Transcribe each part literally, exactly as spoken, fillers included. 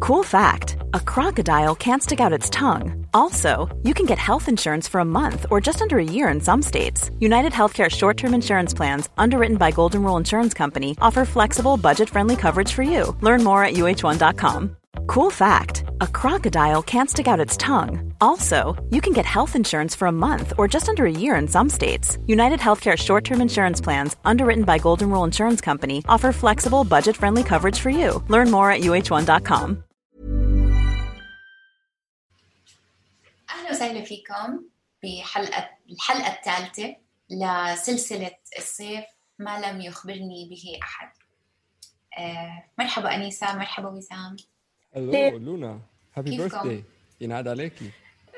Cool fact, a crocodile can't stick out its tongue. Also, you can get health insurance for a month or just under a year in some states. United Healthcare short-term insurance plans, underwritten by Golden Rule Insurance Company, offer flexible, budget-friendly coverage for you. Learn more at U H one dot com. Cool fact, a crocodile can't stick out its tongue. Also, you can get health insurance for a month or just under a year in some states. United Healthcare short-term insurance plans, underwritten by Golden Rule Insurance Company, offer flexible, budget-friendly coverage for you. Learn more at U H one dot com. أهلا وسهلا فيكم بحلقة الحلقة الثالثة لسلسلة الصيف ما لم يخبرني به أحد. آه، مرحبا أنيسة، مرحبا وسام. هلو لونا، هابي بيرثداي. ينعاد عليكي.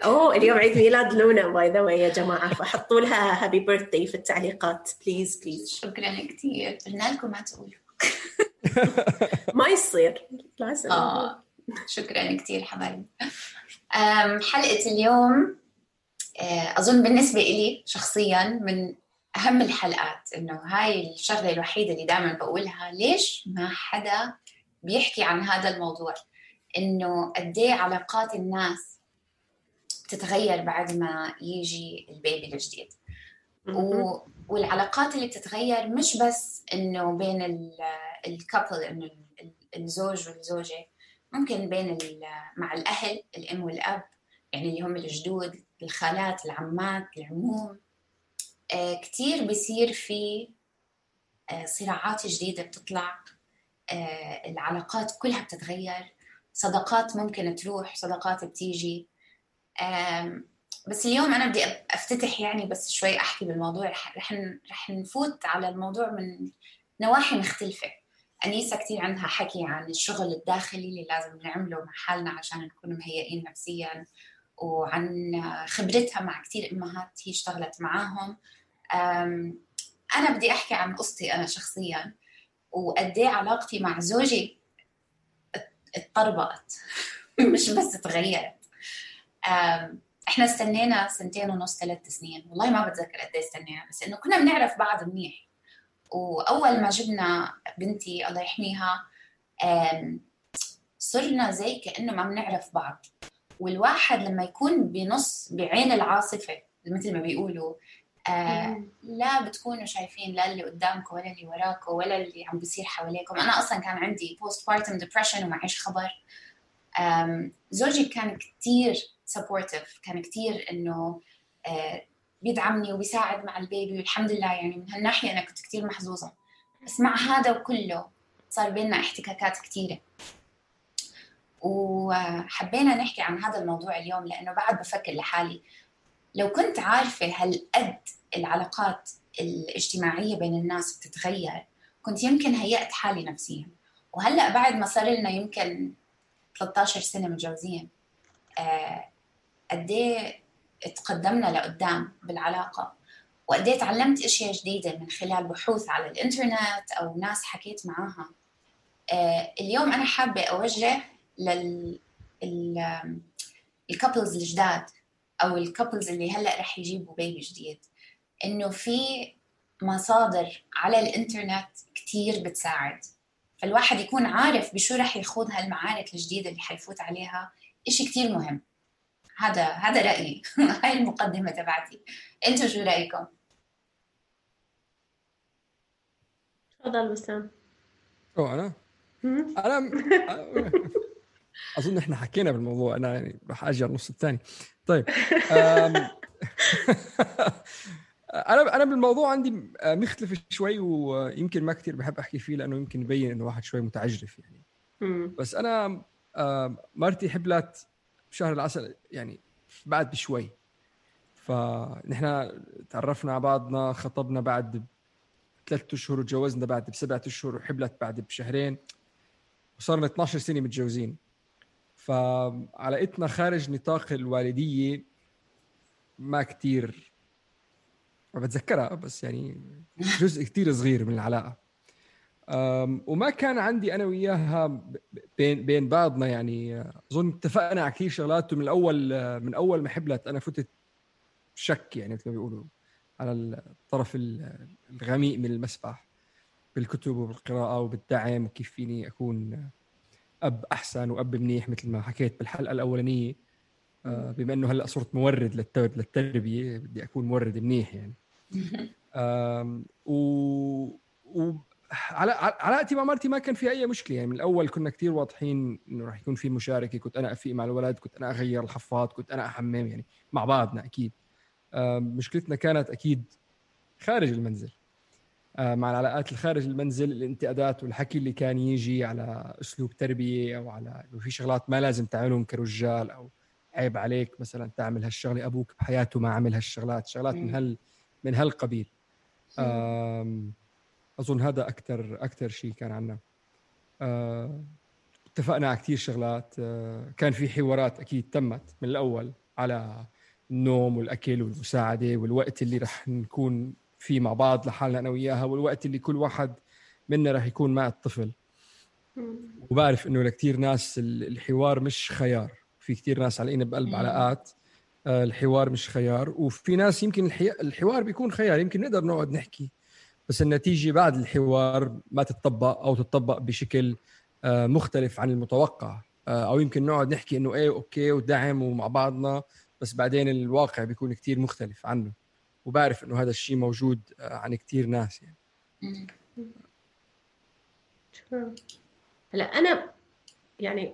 اوه اليوم عيد ميلاد لونا باي ذا واي يا جماعه، فحطوا لها هابي بيرثداي في التعليقات بليز بليز. شكرا كثير، قلنا لكم ما تقولوا. ما يصير لازم. اه شكرا كثير حبايبي. حلقه اليوم اظن بالنسبه لي شخصيا من اهم الحلقات، انه هاي الشغله الوحيده اللي دائما بقولها، ليش ما حدا بيحكي عن هذا الموضوع، إنه قديه علاقات الناس بتتغير بعد ما يجي البيبي الجديد. و... والعلاقات اللي بتتغير مش بس إنه بين الكابل، إنه الزوج والزوجة، ممكن بين ال... مع الأهل، الأم والأب، يعني اللي هم الجدود، الخالات، العمات، العموم. آه كتير بيصير في آه صراعات جديدة بتطلع، آه العلاقات كلها بتتغير، صداقات ممكن تروح، صداقات بتيجي. بس اليوم أنا بدي أفتتح يعني بس شوي أحكي بالموضوع. رح رح نفوت على الموضوع من نواحي مختلفة. أنيسة كتير عندها حكي عن الشغل الداخلي اللي لازم نعمله مع حالنا عشان نكون مهيئين نفسياً، وعن خبرتها مع كتير أمهات هي اشتغلت معاهم. أنا بدي أحكي عن قصتي أنا شخصياً، وقديه علاقتي مع زوجي اتطربقت مش بس تغيرت. احنا استنينا سنتين ونص، ثلاث سنين، والله ما بتذكر قد ايه استنينا، بس انه كنا بنعرف بعض منيح. واول ما جبنا بنتي الله يحميها صرنا زي كأنه ما بنعرف بعض. والواحد لما يكون بنص بعين العاصفة مثل ما بيقولوا، آه لا بتكونوا شايفين لا اللي قدامكم ولا اللي وراكم ولا اللي عم بيصير حواليكم. أنا أصلاً كان عندي postpartum depression ومعيش خبر. زوجي كان كتير supportive، كان كتير إنه آه بيدعمني وبيساعد مع البيبي، والحمد لله يعني من هالناحية أنا كنت كتير محظوظة. بس مع هذا وكله صار بيننا احتكاكات كتيرة، وحبينا نحكي عن هذا الموضوع اليوم، لأنه بعد بفكر لحالي لو كنت عارفة هالقد العلاقات الاجتماعية بين الناس بتتغير، كنت يمكن هيأت حالي نفسيا. وهلأ بعد ما صار لنا يمكن ثلاثة عشر سنة متجوزين، آه قديه اتقدمنا لقدام بالعلاقة، وقديه تعلمت اشياء جديدة من خلال بحوث على الانترنت او ناس حكيت معاها. آه اليوم انا حابة اوجه لل الكابلز الجداد او الكابلز اللي هلأ رح يجيبوا بيبي جديد، انه في مصادر على الانترنت كتير بتساعد، فالواحد يكون عارف بشو رح يخوض هالمعارك الجديدة اللي حيفوت عليها. إشي كتير مهم. هذا هذا رأيي. هاي المقدمة تبعتي. أنتوا شو رأيكم؟ تفضل وسام. أو أنا أنا أظن إحنا حكينا بالموضوع، أنا يعني راح أجي على النص الثاني. طيب أنا أنا بالموضوع عندي مختلف شوي، ويمكن ما كتير بحب أحكي فيه لأنه يمكن يبين إنه واحد شوي متعجرف يعني. بس أنا مرتي حبلت بشهر العسل يعني بعد بشوي، فنحن تعرفنا على بعضنا، خطبنا بعد ثلاثة أشهر وتجوزنا بعد بسبعة أشهر، وحبلت بعد بشهرين، وصارنا اثناشر سنة متجوزين. فعلاقتنا خارج نطاق الوالدية ما كتير ما بتذكرها، بس يعني جزء كتير صغير من العلاقة. وما كان عندي أنا وياها بين بين بعضنا يعني. أظن اتفقنا على كثير شغلات من الأول، من أول ما حبلت أنا فتت شك يعني مثل ما بيقولوا على الطرف الغميق من المسبح، بالكتب وبالقراءة وبالدعم، وكيف فيني أكون أب أحسن وأب منيح مثل ما حكيت بالحلقة الأولانية. بما أنه هلأ صرت مورد للتربية بدي أكون مورد منيح يعني. و... و... على علاقتي مع مرتي ما كان في أي مشكلة يعني. من الأول كنا كتير واضحين إنه راح يكون في مشاركة. كنت أنا أفيق مع الولد، كنت أنا أغير الحفاض، كنت أنا أحمم يعني مع بعضنا أكيد. مشكلتنا كانت أكيد خارج المنزل، مع العلاقات الخارج المنزل، الانتقادات والحكي اللي كان يجي على أسلوب تربية أو على إنه في شغلات ما لازم تعملهم كرجال، أو عيب عليك مثلا تعمل هالشغلة، أبوك بحياته ما عمل هالشغلات، شغلات من هال من هالقبيل. أظن هذا أكتر أكتر شيء كان عنا. اتفقنا على كتير شغلات. كان في حوارات أكيد تمت من الأول على النوم والأكل والمساعدة والوقت اللي رح نكون فيه مع بعض لحالنا أنا وياها، والوقت اللي كل واحد منا رح يكون مع الطفل. وبعرف إنه لكتير ناس الحوار مش خيار. في كتير ناس علينا بقلب علاقات الحوار مش خيار، وفي ناس يمكن الحوار بيكون خيار، يمكن نقدر نقعد نحكي بس النتيجة بعد الحوار ما تتطبق أو تتطبق بشكل مختلف عن المتوقع، أو يمكن نقعد نحكي إنه إيه أوكي ودعم ومع بعضنا، بس بعدين الواقع بيكون كتير مختلف عنه. وبعرف إنه هذا الشيء موجود عن كتير ناس يعني. هلا أنا يعني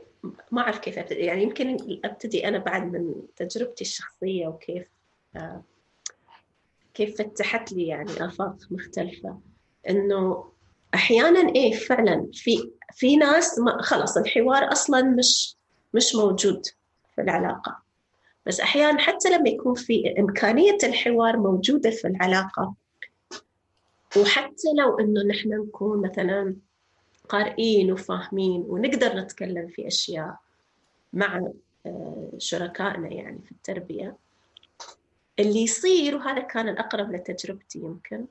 ما أعرف كيف أبتدي. يعني يمكن أبتدي أنا بعد من تجربتي الشخصية وكيف آه كيف فتحت لي يعني آفاق مختلفة. إنه أحياناً إيه فعلاً في في ناس ما خلص الحوار أصلاً مش مش موجود في العلاقة، بس أحياناً حتى لما يكون في إمكانية الحوار موجودة في العلاقة، وحتى لو إنه نحن نكون مثلاً قارئين وفاهمين ونقدر نتكلم في أشياء مع شركائنا يعني في التربية، اللي يصير وهذا كان الأقرب لتجربتي يمكن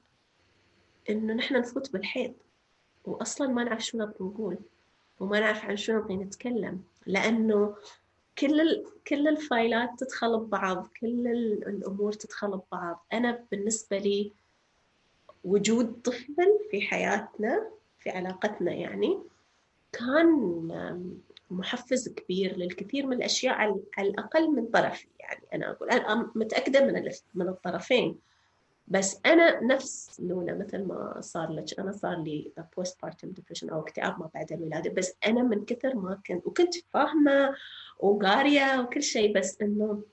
إنه نحن نفوت بالحيط وأصلاً ما نعرف شو نبغى نقول وما نعرف عن شو نبغى نتكلم، لأنه كل ال... كل الفايلات تدخل ببعض، كل الأمور تدخل ببعض. أنا بالنسبة لي وجود طفل في حياتنا في علاقتنا يعني كان محفز كبير للكثير من الأشياء على الأقل من طرفي. يعني أنا أقول أنا متأكدة من من الطرفين، بس أنا نفس لونا مثل ما صار لك، أنا صار لي postpartum depression أو اكتئاب ما بعد الولادة، بس أنا من كثر ما كنت وكنت فاهمة وقارية وكل شيء، بس إنه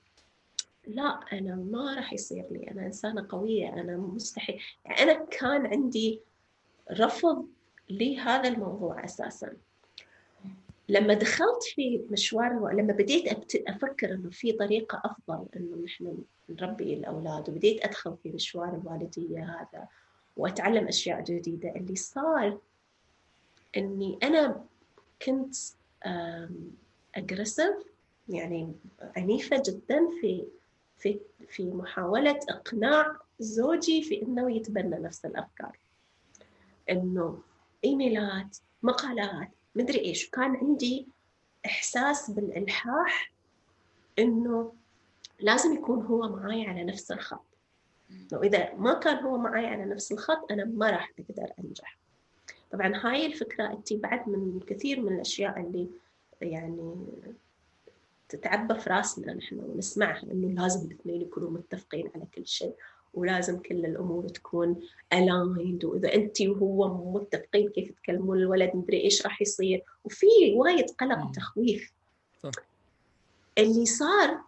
لا أنا ما راح يصير لي، أنا إنسانة قوية، أنا مستحيل. يعني أنا كان عندي رفض لهذا الموضوع أساساً. لما دخلت في مشوار، لما بديت أفكر إنه في طريقة أفضل إنه نحن نربي الأولاد، وبديت أدخل في مشوار الوالدية هذا وأتعلم أشياء جديدة، اللي صار إني أنا كنت أجريسيف يعني عنيفة جدا في في في محاولة إقناع زوجي في إنه يتبنى نفس الأفكار، إنه إيميلات مقالات مدري إيش. كان عندي إحساس بالإلحاح إنه لازم يكون هو معاي على نفس الخط، وإذا ما كان هو معاي على نفس الخط أنا ما راح أقدر أنجح. طبعاً هاي الفكرة أتي بعد من كثير من الأشياء اللي يعني تتعبى في راسنا نحن ونسمعها، إنه لازم الاثنين يكونوا متفقين على كل شيء، ولازم كل الأمور تكون aligned، وإذا أنت وهو متفقين كيف تكلمون الولد مدري إيش راح يصير، وفي وايد قلق وتخويف. اللي صار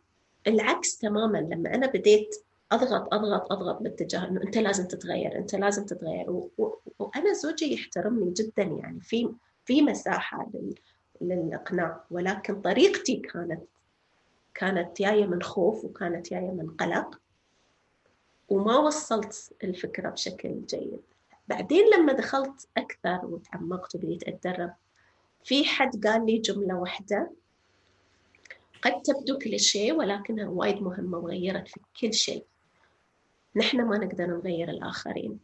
العكس تماماً لما أنا بديت أضغط أضغط أضغط باتجاه إنه أنت لازم تتغير أنت لازم تتغير و... و... وأنا زوجي يحترمني جداً يعني في في مساحة لل... للإقناع، ولكن طريقتي كانت كانت جاية من خوف وكانت جاية من قلق، وما وصلت الفكرة بشكل جيد. بعدين لما دخلت أكثر وتعمقت وبديت أتدرب، في حد قال لي جملة واحدة قد تبدو كليشيه ولكنها وايد مهمة وغيرت في كل شيء. نحن ما نقدر نغير الآخرين،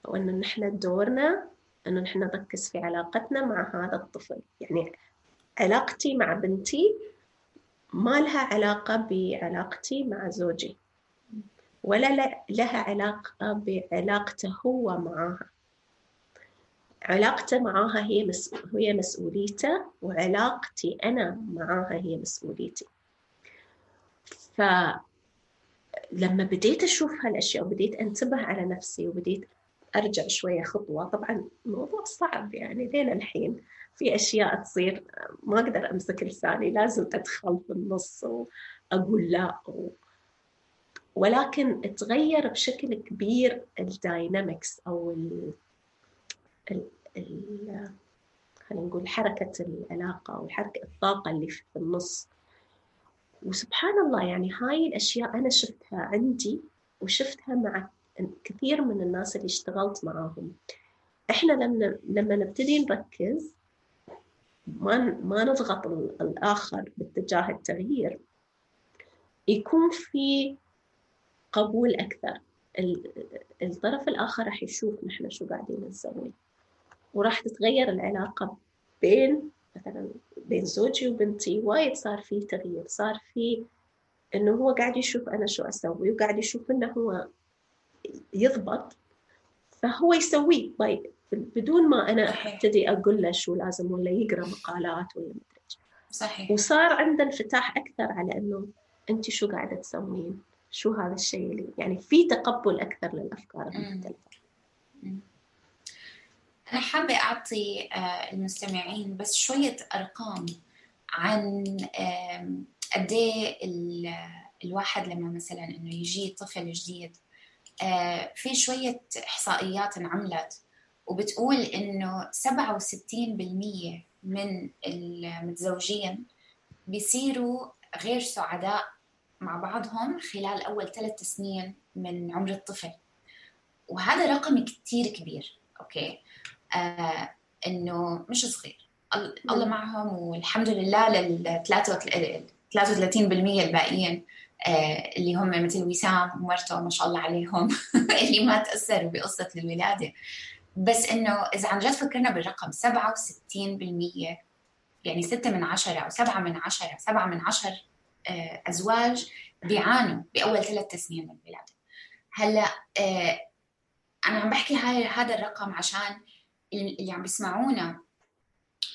وأن نحن دورنا أنه نحن نركز في علاقتنا مع هذا الطفل. يعني علاقتي مع بنتي ما لها علاقة بعلاقتي مع زوجي، ولا لها علاقة بعلاقته هو معها. علاقته معاها هي مس... هي مسؤوليته، وعلاقتي أنا معاها هي مسؤوليتي. فلما بديت أشوف هالأشياء وبديت أنتبه على نفسي وبديت أرجع شوية خطوة، طبعا الموضوع صعب يعني لين الحين في أشياء تصير ما أقدر أمسك لساني، لازم أدخل في النص وأقول لا و... ولكن تغير بشكل كبير الداينامكس أو ال ال ال خلينا نقول حركة العلاقة أو حركة الطاقة اللي في النص. وسبحان الله يعني هاي الأشياء أنا شفتها عندي وشفتها مع كثير من الناس اللي اشتغلت معاهم. إحنا لما لما نبتدي نركز ما ما نضغط الآخر باتجاه التغيير، يكون في قبول أكثر. الطرف الآخر راح يشوف نحن شو قاعدين نسوي، وراح تتغير العلاقة بين مثلا بين زوجي وبنتي. وايد صار فيه تغيير، صار فيه إنه هو قاعد يشوف أنا شو أسوي وقاعد يشوف إنه هو يضبط فهو يسويه طيب بدون ما أنا أبتدي أقول له شو لازم، ولا يقرأ مقالات ولا مدري. صحيح. وصار عنده انفتاح أكثر على إنه أنت شو قاعدة تسوين، شو هذا الشيء اللي يعني في تقبل أكثر للأفكار المختلفة. أنا حابة أعطي المستمعين بس شوية أرقام عن قد إيه الواحد لما مثلا إنه يجي طفل جديد. في شوية إحصائيات انعملت وبتقول إنه سبعة وستين بالمية من المتزوجين بيصيروا غير سعداء مع بعضهم خلال أول ثلاث سنين من عمر الطفل، وهذا رقم كتير كبير. أوكي، آه إنه مش صغير. الله معهم والحمد لله لل ثلاثة وثلاثين بالمية الباقيين آه اللي هم مثل وسام ومرته ما شاء الله عليهم اللي ما تأثروا بقصة الولادة. بس إنه إذا عن جد فكرنا بالرقم سبعة وستين بالمية يعني ستة من عشرة أو سبعة من عشرة سبعة من عشر آه أزواج بيعانوا بأول ثلاث سنين من الولادة. هلا آه أنا عم بحكي هاي هذا الرقم عشان اللي عم بيسمعونا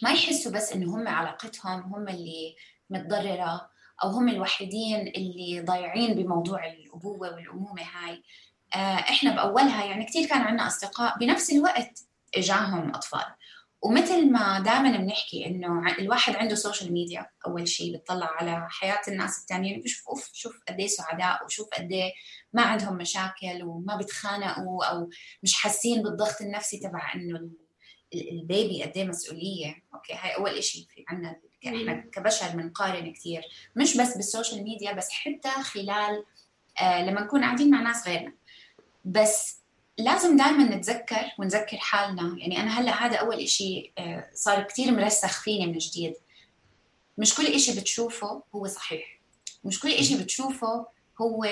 ما يحسوا بس إنه هم علاقتهم هم اللي متضررة أو هم الوحيدين اللي ضايعين بموضوع الأبوة والأمومة هاي. آه إحنا بأولها يعني كتير كان عنا أصدقاء بنفس الوقت إجاهم أطفال. ومثل ما دائما بنحكي إنه الواحد عنده سوشيال ميديا، أول شيء بتطلع على حياة الناس التانيين بيشوف أوف شوف قديه سعداء وشوف قديه ما عندهم مشاكل وما بتخانقوا أو مش حاسين بالضغط النفسي تبع إنه البيبي قديه مسؤولية. أوكي، هاي أول إشي في عنا إحنا كبشر بنقارن كتير مش بس بالسوشيال ميديا بس حتى خلال آه لما نكون قاعدين مع ناس غيرنا. بس لازم دائما نتذكر ونذكر حالنا. يعني أنا هلأ هذا أول إشي صار كتير مرسخ فيني من جديد. مش كل إشي بتشوفه هو صحيح، مش كل إشي بتشوفه هو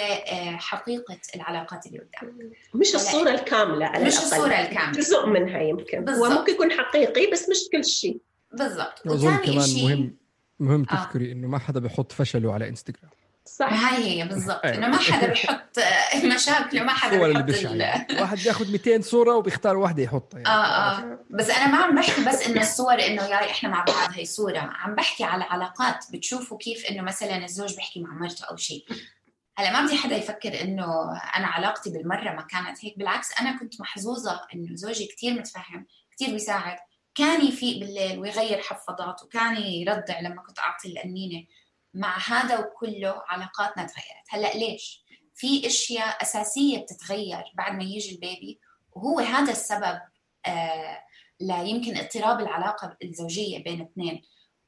حقيقة العلاقات اللي قدام. مش الصورة الكاملة على مش الأقل. الصورة الكاملة، جزء منها يمكن بالزبط. هو ممكن يكون حقيقي بس مش كل شيء. بالضبط. وأظن كمان إشي... مهم مهم تذكري آه. إنه ما حدا بيحط فشله على إنستغرام. صح، هاي هي بالضبط. إنه ما حدا بيحط مشاكل وما حدا بيحط ال... واحد بياخد مئتين صورة وبيختار واحدة يحطها يعني. آه آه. بس أنا ما عم بحكي بس إنه الصور إنه ياي إحنا مع بعض هاي صورة، عم بحكي على علاقات بتشوفوا كيف إنه مثلا الزوج بيحكي مع مرته أو شيء. هلا ما بدي حدا يفكر إنه أنا علاقتي بالمرة ما كانت هيك، بالعكس أنا كنت محظوظة إنه زوجي كتير متفهم كتير بيساعد، كان يفيق بالليل ويغير حفاضات وكان يرضع لما كنت أعطي الأنينة. مع هذا وكله علاقاتنا تغيرت. هلأ ليش؟ في أشياء أساسية بتتغير بعد ما يجي البيبي، وهو هذا السبب آه لا يمكن اضطراب العلاقة الزوجية بين اثنين.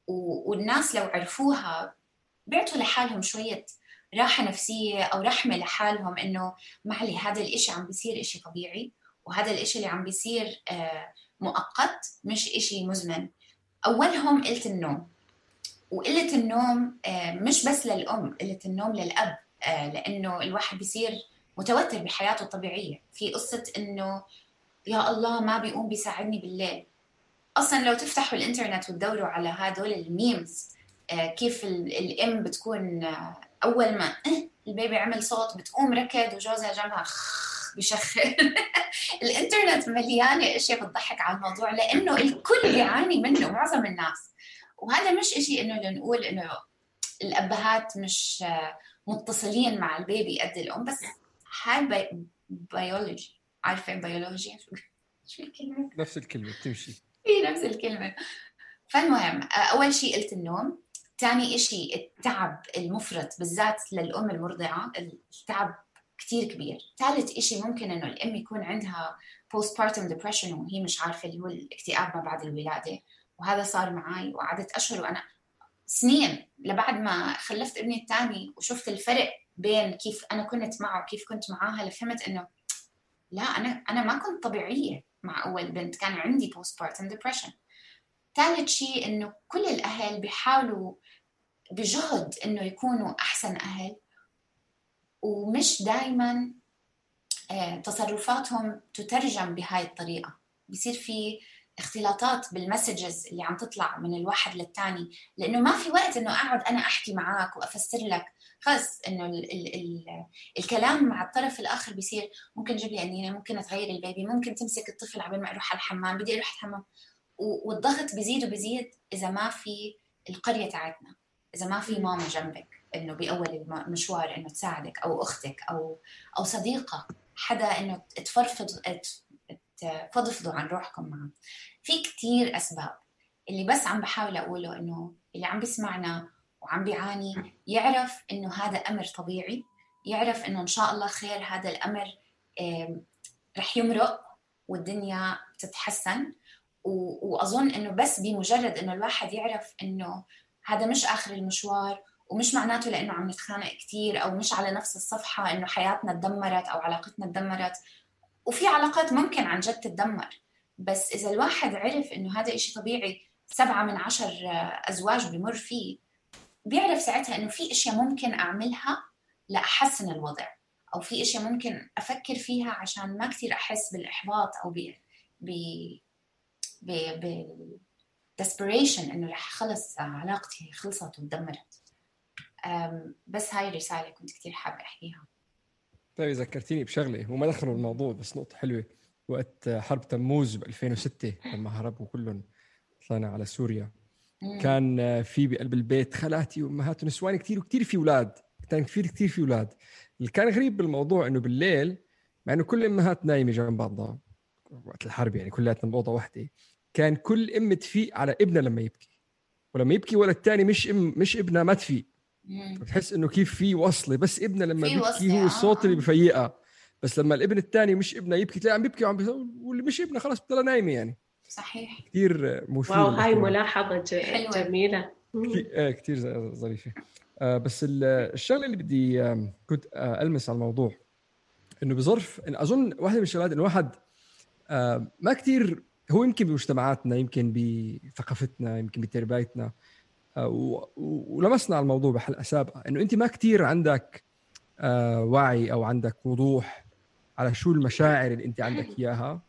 والناس لو عرفوها بيعطوا لحالهم شوية راحة نفسية أو رحمة لحالهم إنه معلي هذا الإشي عم بيصير إشي طبيعي، وهذا الإشي اللي عم بيصير آه مؤقت مش إشي مزمن. أولهم قلة النوم، وقلة النوم مش بس للأم، قلة النوم للأب، لأنه الواحد بيصير متوتر بحياته الطبيعية. في قصة إنه يا الله ما بيقوم بيساعدني بالليل. أصلاً لو تفتحوا الإنترنت وتدوروا على هدول الميمز كيف الأم بتكون أول ما البيبي عمل صوت بتقوم ركض وجوزها جنبها بيشخر. الانترنت مليانة اشياء بتضحك على الموضوع لانه الكل بيعاني منه، معظم الناس. وهذا مش اشي انه لنقول انه الابهات مش متصلين مع البيبي قد الام، بس هاي بي... بيولوجي. عارفة بيولوجيا شو الكلمة؟ نفس الكلمة بتمشي هي نفس الكلمة. فالمهم أول شيء قلت النوم، ثاني إشي التعب المفرط بالذات للأم المرضعة، التعب كتير كبير. ثالث إشي ممكن إنه الأم يكون عندها postpartum depression وهي مش عارفة، اللي هو الاكتئاب ما بعد الولادة، وهذا صار معي وقعدت أشهر وأنا سنين لبعد ما خلفت ابني الثاني وشفت الفرق بين كيف أنا كنت معه وكيف كنت معاها، لفهمت إنه لا أنا أنا ما كنت طبيعية مع أول بنت، كان عندي postpartum depression. ثالث شيء إنه كل الأهل بيحاولوا بجهد إنه يكونوا أحسن أهل، ومش دايماً تصرفاتهم تترجم بهاي الطريقة. بيصير في اختلاطات بالمسجز اللي عم تطلع من الواحد للتاني، لأنه ما في وقت إنه أقعد أنا أحكي معاك وأفسر لك. خلص إنه ال ال ال الكلام مع الطرف الآخر بيصير ممكن جيب لي أنينة، ممكن تغير البيبي، ممكن تمسك الطفل عبين ما أروح على الحمام، بدي أروح الحمام. والضغط بيزيد وبيزيد إذا ما في القرية تاعتنا، إذا ما في ماما جنبك إنه بأول المشوار إنه تساعدك، أو أختك أو أو صديقة، حدا إنه تفرفض تفضفضوا عن روحكم معه. في كتير أسباب اللي بس عم بحاول أقوله إنه اللي عم بيسمعنا وعم بيعاني يعرف إنه هذا أمر طبيعي، يعرف إنه إن شاء الله خير، هذا الأمر رح يمرق والدنيا تتحسن. وأظن إنه بس بمجرد إنه الواحد يعرف إنه هذا مش آخر المشوار، ومش معناته لأنه عم نتخانق كتير أو مش على نفس الصفحة إنه حياتنا تدمرت أو علاقتنا تدمرت. وفي علاقات ممكن عن جد تتدمر، بس إذا الواحد عرف إنه هذا إشي طبيعي سبعة من عشر أزواج بمر فيه، بيعرف ساعتها إنه في إشياء ممكن أعملها لأحسن الوضع، أو في إشياء ممكن أفكر فيها عشان ما كتير أحس بالإحباط أو ب ب ب ب desperation إنه رح خلص علاقتي خلصت وتدمرت. بس هاي الرسالة كنت كتير حابة أحكيها. طيب ذكرتيني بشغلة وما دخلوا الموضوع، بس نقطة حلوة. وقت حرب تموز ب ألفين وستة لما هربوا كلهم طلعنا على سوريا، مم. كان في بقلب البيت خالاتي وأمهات ونسوان كتير، وكتير في أولاد، كان كتير كتير في أولاد. اللي كان غريب بالموضوع إنه بالليل مع إنه كل الأمهات نايمة جنب بعضها وقت الحرب، يعني كلاتنا بأوضة واحدة، كان كل أم تفيق على ابنها لما يبكي، ولما يبكي ولا التاني مش أم مش ابنها ما تفيق. بتحس إنه كيف في وصلة، بس ابنه لما بيبكي هو الصوت اللي بفيقها، بس لما الابن الثاني مش ابنه يبكي تلاقي عم بيبكي وعم بيصوت، واللي مش ابنه خلاص بتضل نايمه. يعني صحيح، كثير مثير. واو، هاي ملاحظة جميلة، كثير كثير ظريفة. آه بس الشغلة اللي بدي آه كنت آه ألمس على الموضوع إنه بظرف إن أظن واحدة من الشغلات إنه واحد آه ما كثير، هو يمكن بمجتمعاتنا، يمكن بثقافتنا، يمكن بتربيتنا، ولمسنا على الموضوع بحلقة سابقة، إنه أنت ما كتير عندك آه وعي أو عندك وضوح على شو المشاعر اللي أنت عندك إياها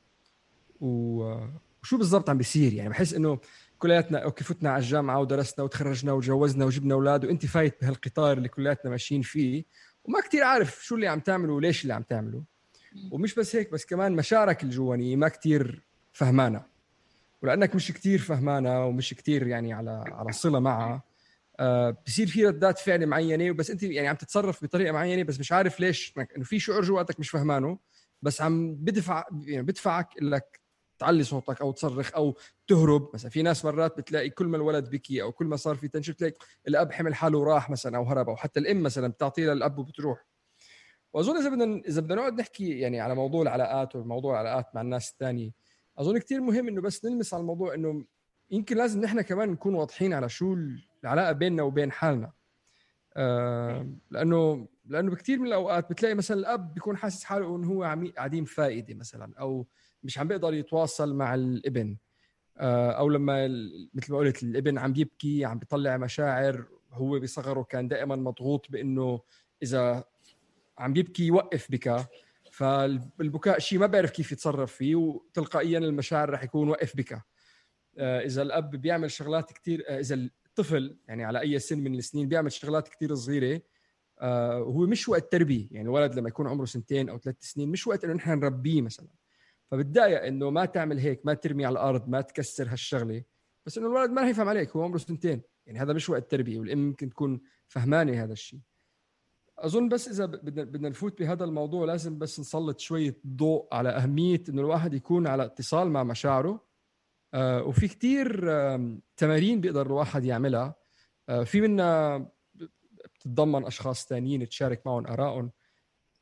وشو بالضبط عم بيصير. يعني بحس إنه كلياتنا أوكي فتنا على الجامعة ودرسنا وتخرجنا وتجوزنا وجبنا أولاد، وأنت فايت بهالقطار اللي كلياتنا ماشيين فيه، وما كتير عارف شو اللي عم تعمله وليش اللي عم تعمله. ومش بس هيك، بس كمان مشاعرك الجوانية ما كتير فهمانة، ولأنك مش كتير فهمانة ومش كتير يعني على على صلة معها، آه بصير في ردات فعل معينة، وبس أنت يعني عم تتصرف بطريقة معينة بس مش عارف ليش، إنه في شعور جواتك مش فهمانه، بس عم بدفع يعني بدفعك إنك تعلي صوتك أو تصرخ أو تهرب. مثلا في ناس مرات بتلاقي كل ما الولد بكي أو كل ما صار في تنشن تلاقي الأب حمل حاله وراح مثلا أو هرب، أو حتى الأم مثلا بتعطيه للأب وبتروح. وأظن إذا بدنا إذا بدنا نقعد نحكي يعني على موضوع العلاقات وموضوع العلاقات مع الناس الثانية، أظن كتير مهم إنه بس نلمس على الموضوع إنه يمكن لازم نحن كمان نكون واضحين على شو العلاقة بيننا وبين حالنا. آه لأنه لأنه بكتير من الأوقات بتلاقي مثلا الأب بيكون حاسس حاله إنه هو عديم فائدة مثلا، أو مش عم بيقدر يتواصل مع الابن، آه أو لما مثل ما قلت الابن عم بيبكي عم بيطلع مشاعر، هو بصغره كان دائما مضغوط بإنه إذا عم بيبكي يوقف بكى، فالبكاء شيء ما بيعرف كيف يتصرف فيه، وتلقائيا المشاعر رح يكون وقف بكى. آه إذا الأب بيعمل شغلات كتير، آه إذا الطفل يعني على أي سن من السنين بيعمل شغلات كتير صغيرة، آه هو مش وقت تربية. يعني الولد لما يكون عمره سنتين أو ثلاث سنين مش وقت إنه نحن نربيه مثلا. فبالداية إنه ما تعمل هيك، ما ترمي على الأرض، ما تكسر هالشغلة، بس إنه الولد ما رح يفهم عليك، هو عمره سنتين، يعني هذا مش وقت تربية، والأم ممكن تكون فهمانة هذا الشيء. أظن بس إذا بدنا بدنا نفوت بهذا الموضوع لازم بس نسلط شوية ضوء على أهمية إنه الواحد يكون على اتصال مع مشاعره. آه وفي كتير آه تمارين بيقدر الواحد يعملها، آه في منها بتتضمن أشخاص تانيين تشارك معهم آرائهم،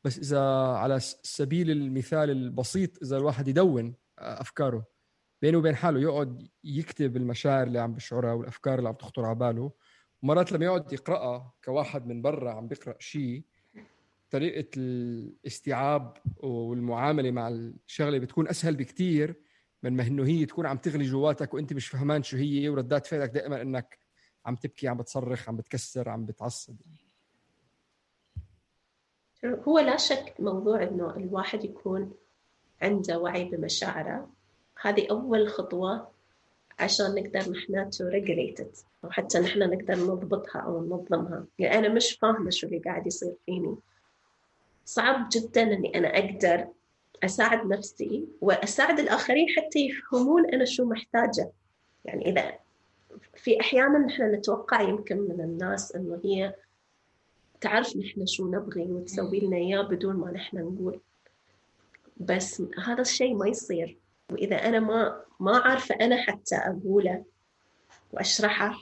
بس إذا على سبيل المثال البسيط إذا الواحد يدون أفكاره بينه وبين حاله، يقعد يكتب المشاعر اللي عم بشعرها والأفكار اللي عم تخطر على باله، ومرات لما يقعد يقرأها كواحد من برا عم بيقرأ شيء، طريقة الاستيعاب والمعاملة مع الشغلة بتكون أسهل بكتير من ما إنه هي تكون عم تغلي جواتك وأنت مش فهمان شو هي، وردات فعلك دائما إنك عم تبكي، عم بتصرخ، عم بتكسر، عم بتعصب. هو لا شك موضوع إنه الواحد يكون عنده وعي بمشاعره، هذه أول خطوة عشان نقدر نحن to regulate it، أو حتى نحن نقدر نضبطها أو ننظمها. يعني أنا مش فاهمة شو اللي قاعد يصير فيني، صعب جدا أني أنا أقدر أساعد نفسي وأساعد الآخرين حتى يفهمون أنا شو محتاجة. يعني إذا في أحيانا نحن نتوقع يمكن من الناس أنه هي تعرف نحن شو نبغي وتسوي لنا إياه بدون ما نحن نقول، بس هذا الشيء ما يصير. وإذا أنا ما ما عارفة أنا حتى أقوله وأشرحه،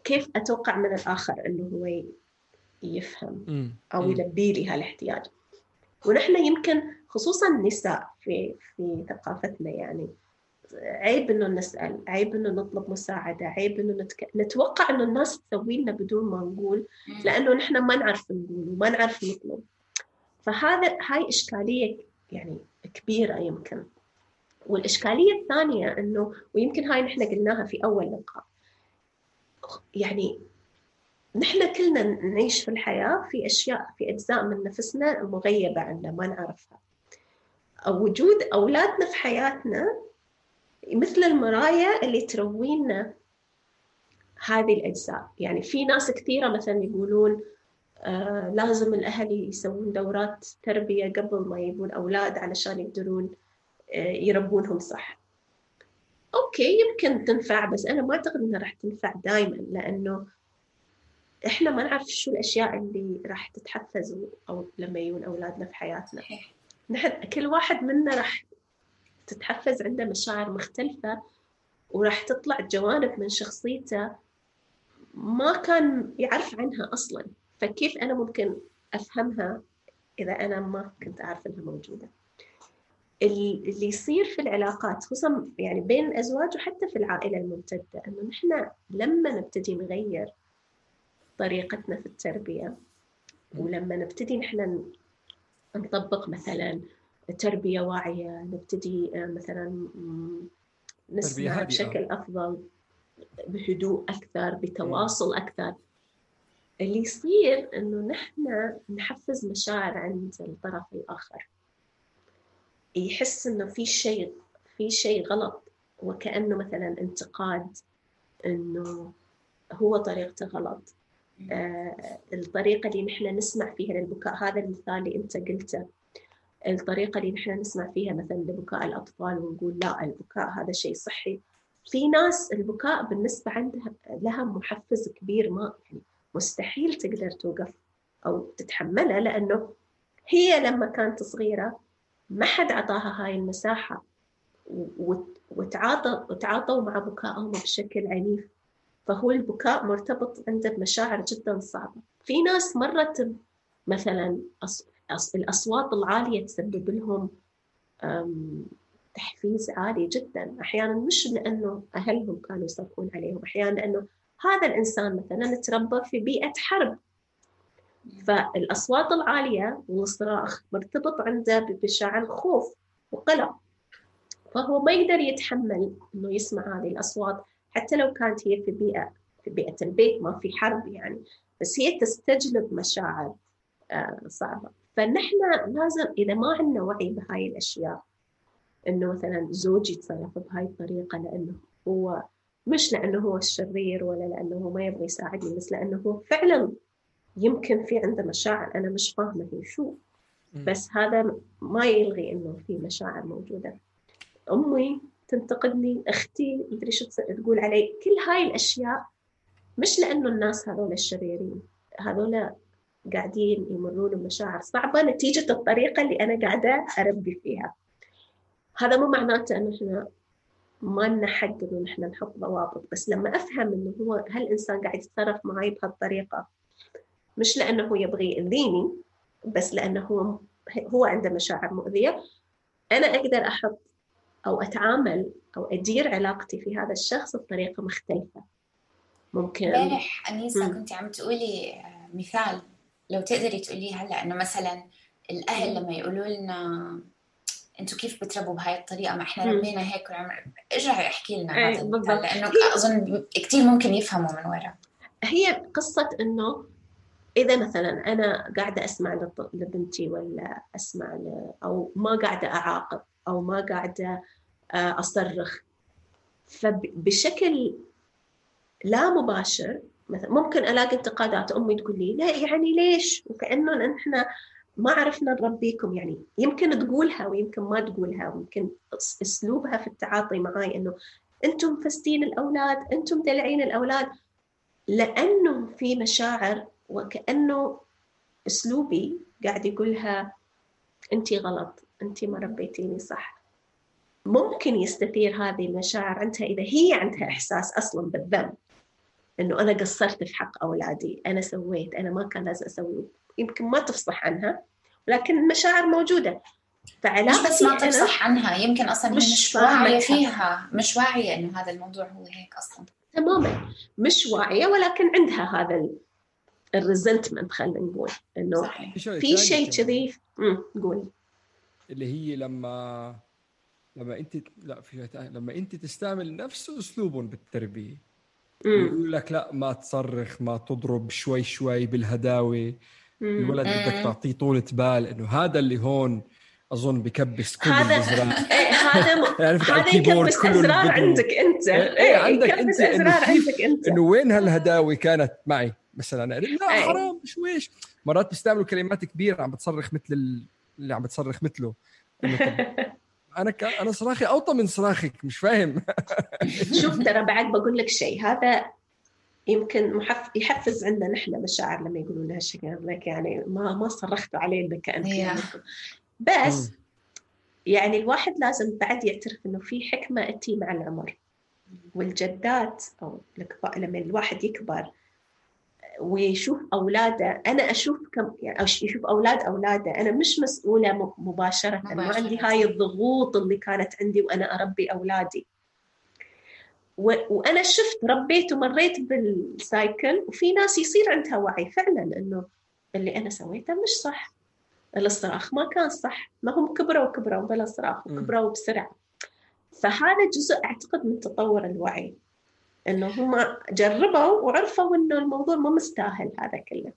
كيف أتوقع من الآخر أنه هو يفهم أو يلبي لي هالاحتياج؟ ونحن يمكن خصوصا النساء في في ثقافتنا يعني عيب إنه نسأل، عيب إنه نطلب مساعدة، عيب إنه نتك... نتوقع إنه الناس تسوي لنا بدون ما نقول، لأنه نحن ما نعرف نقول وما نعرف نطلب. فهذا هاي إشكالية يعني كبيرة يمكن. والإشكالية الثانية إنه، ويمكن هاي نحن قلناها في أول لقاء، يعني نحن كلنا نعيش في الحياة في أشياء، في أجزاء من نفسنا مغيبة عنا ما نعرفها. أو وجود أولادنا في حياتنا مثل المرايا اللي تروينا هذه الأجزاء. يعني في ناس كثيرة مثلا يقولون آه لازم الأهل يسوون دورات تربية قبل ما يبون أولاد علشان يقدرون آه يربونهم صح. أوكي يمكن تنفع، بس أنا ما أعتقد أنها راح تنفع دائما، لأنه إحنا ما نعرف شو الأشياء اللي راح تتحفز أو لما يجون أولادنا في حياتنا. نحن كل واحد منا راح تتحفز عنده مشاعر مختلفة، وراح تطلع جوانب من شخصيته ما كان يعرف عنها أصلاً. فكيف أنا ممكن أفهمها إذا أنا ما كنت أعرف أنها موجودة؟ اللي يصير في العلاقات خصوصاً يعني بين الأزواج وحتى في العائلة الممتدة، أنه نحن لما نبتدي نغير طريقتنا في التربية، ولما نبتدي نحن نطبق مثلاً تربية واعية، نبتدي مثلاً نسمع بشكل أفضل، بهدوء أكثر، بتواصل أكثر، اللي يصير إنه نحن نحفز مشاعر عند الطرف الآخر، يحس إنه في شيء في شيء غلط، وكأنه مثلاً انتقاد، إنه هو طريقته غلط. آه الطريقة اللي نحن نسمع فيها للبكاء، هذا المثال اللي أنت قلته، الطريقة اللي نحن نسمع فيها مثلاً لبكاء الأطفال ونقول لا البكاء هذا شيء صحي. في ناس البكاء بالنسبة عندها لها محفز كبير، ما يعني مستحيل تقدر توقف أو تتحملها، لأنه هي لما كانت صغيرة ما حد عطاها هاي المساحة، وتعاطى وتعاطوا مع بكائهم بشكل عنيف، فهو البكاء مرتبط عنده بمشاعر جدا صعبة. في ناس مرت مثلا الأصوات العالية تسبب لهم تحفيز عالي جدا، أحيانا مش لأنه أهلهم كانوا يصرخون عليهم، أحيانا لأنه هذا الإنسان مثلا تربى في بيئة حرب، فالأصوات العالية والصراخ مرتبط عنده بمشاعر خوف وقلق، فهو ما يقدر يتحمل إنه يسمع هذه الأصوات، حتى لو كانت هي في بيئة في بيئة البيت ما في حرب يعني، بس هي تستجلب مشاعر آه صعبة. فنحن لازم إذا ما عندنا وعي بهاي الأشياء، إنه مثلا زوجي يتصرف بهاي الطريقة لأنه هو مش لأنه هو الشرير ولا لأنه هو ما يبغى يساعدني، بس لأنه هو فعلا يمكن في عنده مشاعر أنا مش فاهمة هي شو، بس هذا ما يلغي إنه في مشاعر موجودة. أمي تنتقدني، أختي مدري شو تقول علي، كل هاي الأشياء مش لأنه الناس هذول الشريرين، هذول قاعدين يمرون بمشاعر صعبة نتيجة الطريقة اللي أنا قاعدة أربي فيها. هذا مو معناته أنه إحنا ما لنا حق إنه نحن نحط ضوابط، بس لما أفهم إنه هو هالإنسان قاعد يتصرف معي بهالطريقة مش لأنه هو يبغي يأذيني، بس لأنه هو هو عنده مشاعر مؤذية، أنا أقدر أحط أو أتعامل أو أدير علاقتي في هذا الشخص بطريقة مختلفة. ممكن امبارح أنيسة كنت عم تقولي مثال، لو تقدري تقولي هلا إنه مثلا الأهل لما يقولوا لنا أنتوا كيف بتربوا بهاي الطريقة، ما إحنا ربينا هيك وعمر، ارجعي احكي لنا هذا المثال، لأنه أظن كتير ممكن يفهموا من وراء. هي قصة إنه إذا مثلا أنا قاعدة أسمع لبنتي ولا أسمع ل... أو ما قاعدة أعاقب أو ما قاعدة أصرخ، فبشكل لا مباشر مثلا ممكن ألاقي انتقادات أمي تقول لي لا يعني ليش، وكأنه نحن ما عرفنا نربيكم. يعني يمكن تقولها ويمكن ما تقولها، ويمكن أسلوبها في التعاطي معاي إنه أنتم فستين الأولاد، أنتم دلعين الأولاد، لأنه في مشاعر وكأنه أسلوبي قاعد يقولها أنتي غلط، أنتي ما ربيتيني صح. ممكن يستثير هذه المشاعر عندها إذا هي عندها إحساس أصلاً بالذنب، إنه أنا قصرت في حق أولادي، أنا سويت، أنا ما كان لازم أسوي، يمكن ما تفصح عنها لكن المشاعر موجودة. مش بس ما تفصح عنها، يمكن أصلاً مش, مش واعية فيها، مش واعية إنه هذا الموضوع هو هيك أصلاً تماماً، مش واعية، ولكن عندها هذا الريزنتمنت، خلينا نقول إنه صحيح. في شيء كذي نقول اللي هي لما لما أنت لا في لما أنت تستعمل نفس أسلوبهم بالتربية، يقول لك لا ما تصرخ، ما تضرب، شوي شوي بالهداوة، الولد بدك تعطيه طولة بال، إنه هذا اللي هون أظن بكبس كل الأزرار. إيه هذا يعني هذا يكبس أزرار عندك أنت. إيه, إيه عندك أنت إنه عندك أنت إنه وين هالهداوة كانت معي مثلا، لا أيه. حرام شويش. مرات بيستعملوا كلمات كبيرة عم بتصرخ مثل اللي عم بتصرخ مثله. أنا ك... أنا صراخي أوطى من صراخك، مش فاهم. شوف ترى بعد بقول لك شيء، هذا يمكن محف... يحفز عندنا نحن مشاعر لما يقولون لها الشيء لك يعني ما ما صرختوا عليه لك أنت. بس يعني الواحد لازم بعد يعترف إنه في حكمة أتي مع العمر والجدات، أو لما الواحد يكبر ويشوف أولاده. أنا أشوف كم يعني يشوف أولاد أولاده، أنا مش مسؤولة مباشرة, مباشرة. ما عندي هاي الضغوط اللي كانت عندي وأنا أربي أولادي، و... وأنا شفت ربيت ومريت بالسايكل. وفي ناس يصير عندها وعي فعلا إنه اللي أنا سويته مش صح، الصراخ ما كان صح، ما هم كبروا وكبروا بلا صراخ وكبروا بسرعة. فهذا جزء أعتقد من تطور الوعي، إنه هم جربوا وعرفوا إنه الموضوع ما مستاهل هذا كله.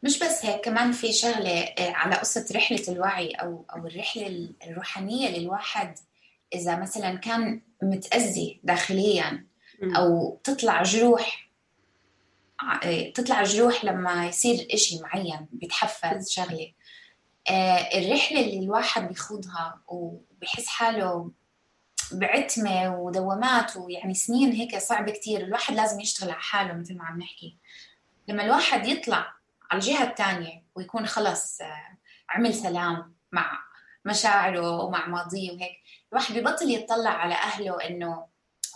مش بس هيك، كمان في شغلة على قصة رحلة الوعي أو أو الرحلة الروحانية للواحد. إذا مثلا كان متأذي داخليا أو تطلع جروح تطلع جروح لما يصير إشي معين بيتحفز شغلة، الرحلة اللي الواحد بيخوضها وبيحس حاله بعتمة ودوامات ويعني سنين هيك صعب كتير، الواحد لازم يشتغل على حاله مثل ما عم نحكي. لما الواحد يطلع على الجهة الثانية ويكون خلص عمل سلام مع مشاعره ومع ماضيه وهيك، الواحد بيبطل يتطلع على أهله إنه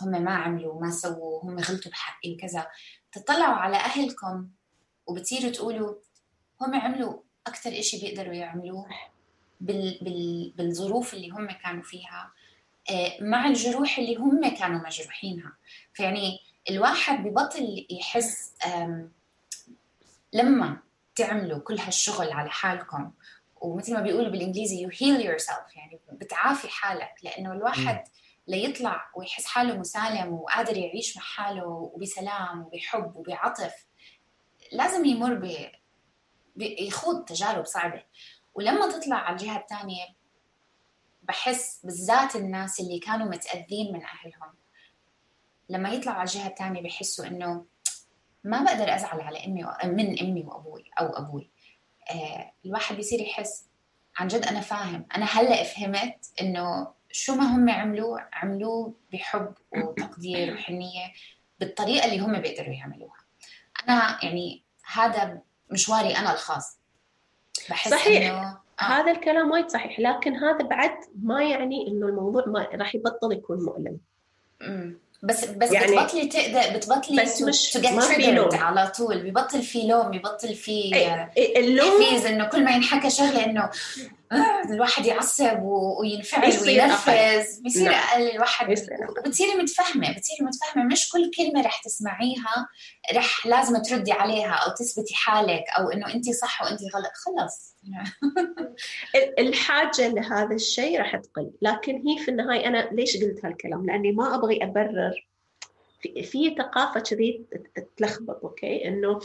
هم ما عملوا ما سووا، هم غلطوا بحقي وكذا. تطلعوا على أهلكم وبتصيروا تقولوا هم عملوا أكتر إشي بيقدروا يعملوه بال بال بالظروف اللي هم كانوا فيها، مع الجروح اللي هم كانوا مجروحينها. فيعني الواحد ببطل يحس لما تعملوا كل هالشغل على حالكم، ومثل ما بيقولوا بالإنجليزي you heal yourself، يعني بتعافي حالك. لأنه الواحد ليطلع ويحس حاله مسالم وقادر يعيش مع حاله وبسلام وبحب وبعطف، لازم يمر ب يخوض تجارب صعبة. ولما تطلع على الجهة الثانية بحس بالذات الناس اللي كانوا متأذين من أهلهم، لما يطلعوا على الجهة الثانية بحسوا إنه ما بقدر أزعل على أمي من أمي وأبوي، أو أبوي، آه الواحد بيصير يحس عن جد أنا فاهم، أنا هلأ فهمت إنه شو ما هم عملوا عملوه بحب وتقدير وحنية بالطريقة اللي هم بيقدروا يعملوها. أنا يعني هذا مشواري أنا الخاص، بحس صحيح إنه آه. هذا الكلام وايد صحيح، لكن هذا بعد ما يعني إنه الموضوع ما راح يبطل يكون مؤلم. امم بس بس يعني بتبطلي تقدر بتبطلي بس مش to get ما في triggered لوم على طول، بيبطل في لوم، بيبطل في اللوم تحفيز انه كل ما ينحكى شغله انه الواحد يعصب وينفعل يصير وينرفز، بيصير نعم. اقل الواحد، يصير وبتصيري متفهمه بتصيري متفهمه مش كل كلمه رح تسمعيها رح لازم تردي عليها او تثبتي حالك او انه انت صح وانت غلط، خلص الحاجه لهذا الشيء راح تقل. لكن هي في النهايه انا ليش قلت هالكلام؟ لاني ما ابغي ابرر في, في ثقافه كذي تلخبط. اوكي انه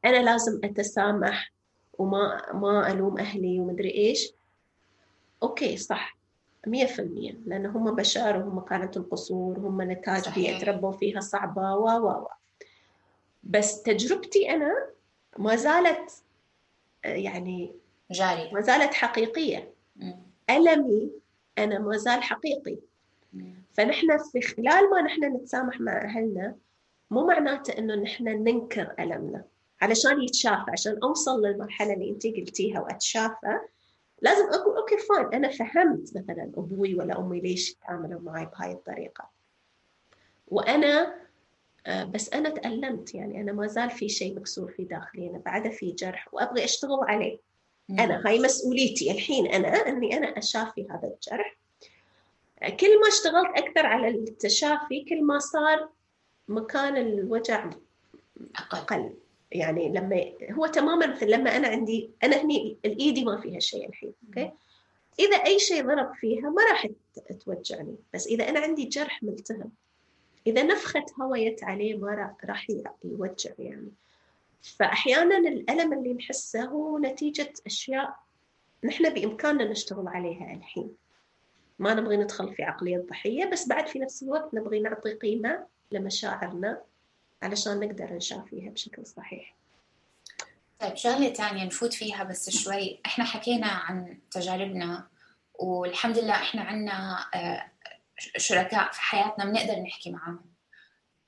انا لازم اتسامح وما ما الوم اهلي ومدري ايش. اوكي صح مية في المية، لأن هم بشر وهم كانت القصور، هم نتاج بيئة تربوا فيها صعبة و و و بس تجربتي أنا ما زالت يعني جارية، ما زالت حقيقية. مم. ألمي أنا ما زال حقيقي. مم. فنحن في خلال ما نحن نتسامح مع أهلنا مو معناته إنه نحن ننكر ألمنا علشان يتشافى. عشان أوصل للمرحلة اللي أنتي قلتيها وأتشافى لازم أقول أوكي فاين، أنا فهمت مثلا أبوي ولا أمي ليش يتعاملوا معي بهاي الطريقة، وأنا بس أنا تألمت. يعني أنا ما زال في شيء مكسور في داخلي، أنا بعد في جرح وأبغي أشتغل عليه. مم. أنا هاي مسؤوليتي الحين، أنا أني أنا أشافي هذا الجرح. كل ما اشتغلت أكثر على التشافي كل ما صار مكان الوجع أقل, أقل. يعني لما هو تماما مثل لما أنا عندي أنا هني الإيدي ما فيها شيء الحين. أوكي إذا أي شيء ضرب فيها ما راح توجعني، بس إذا أنا عندي جرح ملتهب إذا نفخت هوايت عليه ما راح يوجع يعني. فأحيانا الألم اللي نحسه هو نتيجة أشياء نحن بإمكاننا نشتغل عليها الحين. ما نبغي ندخل في عقلية الضحية، بس بعد في نفس الوقت نبغي نعطي قيمة لمشاعرنا علشان نقدر نشافيها بشكل صحيح. طيب شغلة تانية نفوت فيها بس شوي، احنا حكينا عن تجاربنا والحمد لله احنا عنا شركاء في حياتنا بنقدر نحكي معاهم.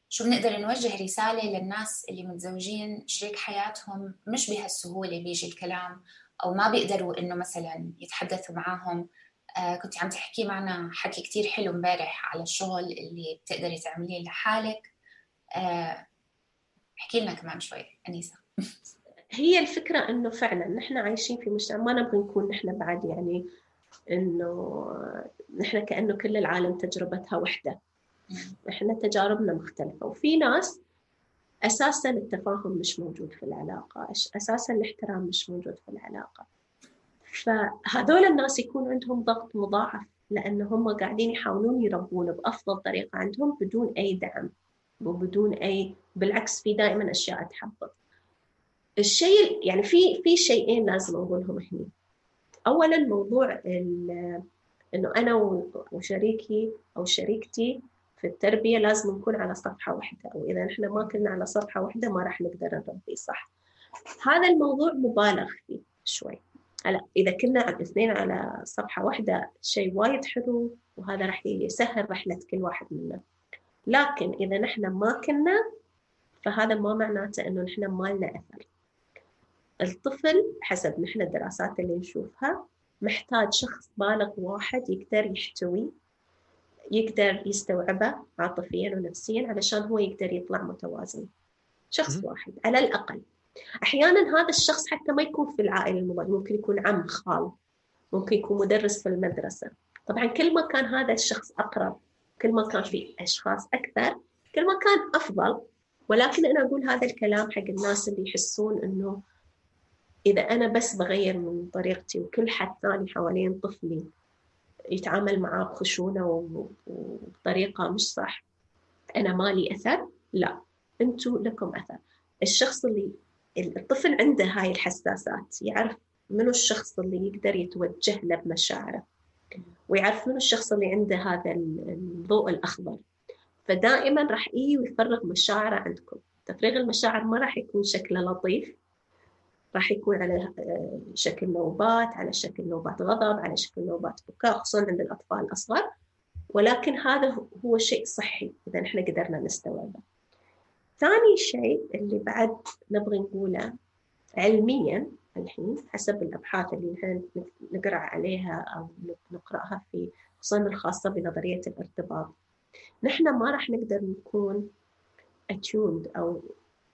شو بنقدر نوجه رسالة للناس اللي متزوجين شريك حياتهم مش بهالسهولة بيجي الكلام أو ما بيقدروا إنه مثلا يتحدثوا معاهم؟ آه كنت عم تحكي معنا حكي كتير حلو مبارح على الشغل اللي بتقدري تعمليه لحالك. آه احكي لنا كمان شوي أنيسة. هي الفكرة إنه فعلا نحن عايشين في مجتمع ما نبغي نكون نحن بعد يعني إنه نحن كأنه كل العالم تجربتها وحدة. إحنا تجاربنا مختلفة، وفي ناس أساساً التفاهم مش موجود في العلاقة، أساساً الاحترام مش موجود في العلاقة. فهذول الناس يكون عندهم ضغط مضاعف لأنهم قاعدين يحاولون يربون بأفضل طريقة عندهم بدون أي دعم وبدون أي، بالعكس في دائماً أشياء تحبط. الشيء يعني في في شيئين لازم أقولهم هنا. أولاً موضوع إنه أنا وشريكي أو شريكتي في التربية لازم نكون على صفحة واحدة، أو إذا نحن ما كنا على صفحة واحدة ما راح نقدر نربي صح. هذا الموضوع مبالغ فيه شوي. هلا إذا كنا الاثنين على صفحة واحدة شيء وايد حلو وهذا راح يسهل رحلة كل واحد منا، لكن إذا نحن ما كنا فهذا ما معناته إنه نحن ما لنا أثر. الطفل حسب نحن الدراسات اللي نشوفها محتاج شخص بالغ واحد يقدر يحتوي، يقدر يستوعبه عاطفياً ونفسياً علشان هو يقدر يطلع متوازن. شخص واحد على الأقل. أحياناً هذا الشخص حتى ما يكون في العائلة المباشرة، ممكن يكون عم، خال، ممكن يكون مدرس في المدرسة. طبعاً كل ما كان هذا الشخص أقرب كل ما كان في أشخاص أكثر كل ما كان أفضل. ولكن أنا أقول هذا الكلام حق الناس اللي يحسون إنه إذا أنا بس بغير من طريقتي وكل حد ثاني حوالين طفلي يتعامل معاه بخشونة وبطريقة مش صح أنا مالي أثر. لا، أنتوا لكم أثر. الشخص اللي الطفل عنده هاي الحساسات يعرف منو الشخص اللي يقدر يتوجه له بمشاعره، ويعرف منو الشخص اللي عنده هذا الضوء الأخضر. فدائما راح إيه ويفرغ مشاعره عندكم. تفريغ المشاعر ما راح يكون شكله لطيف، راح يكون على شكل نوبات، على شكل نوبات غضب، على شكل نوبات بكاء، خصوصا عند الأطفال الأصغر، ولكن هذا هو شيء صحي إذا نحن قدرنا نستوعبه. ثاني شيء اللي بعد نبغي نقوله علميا الحين حسب الأبحاث اللي نحن نقرأ عليها أو نقرأها في خصوصا الخاصة بنظرية الارتباط، نحن ما راح نقدر نكون attuned أو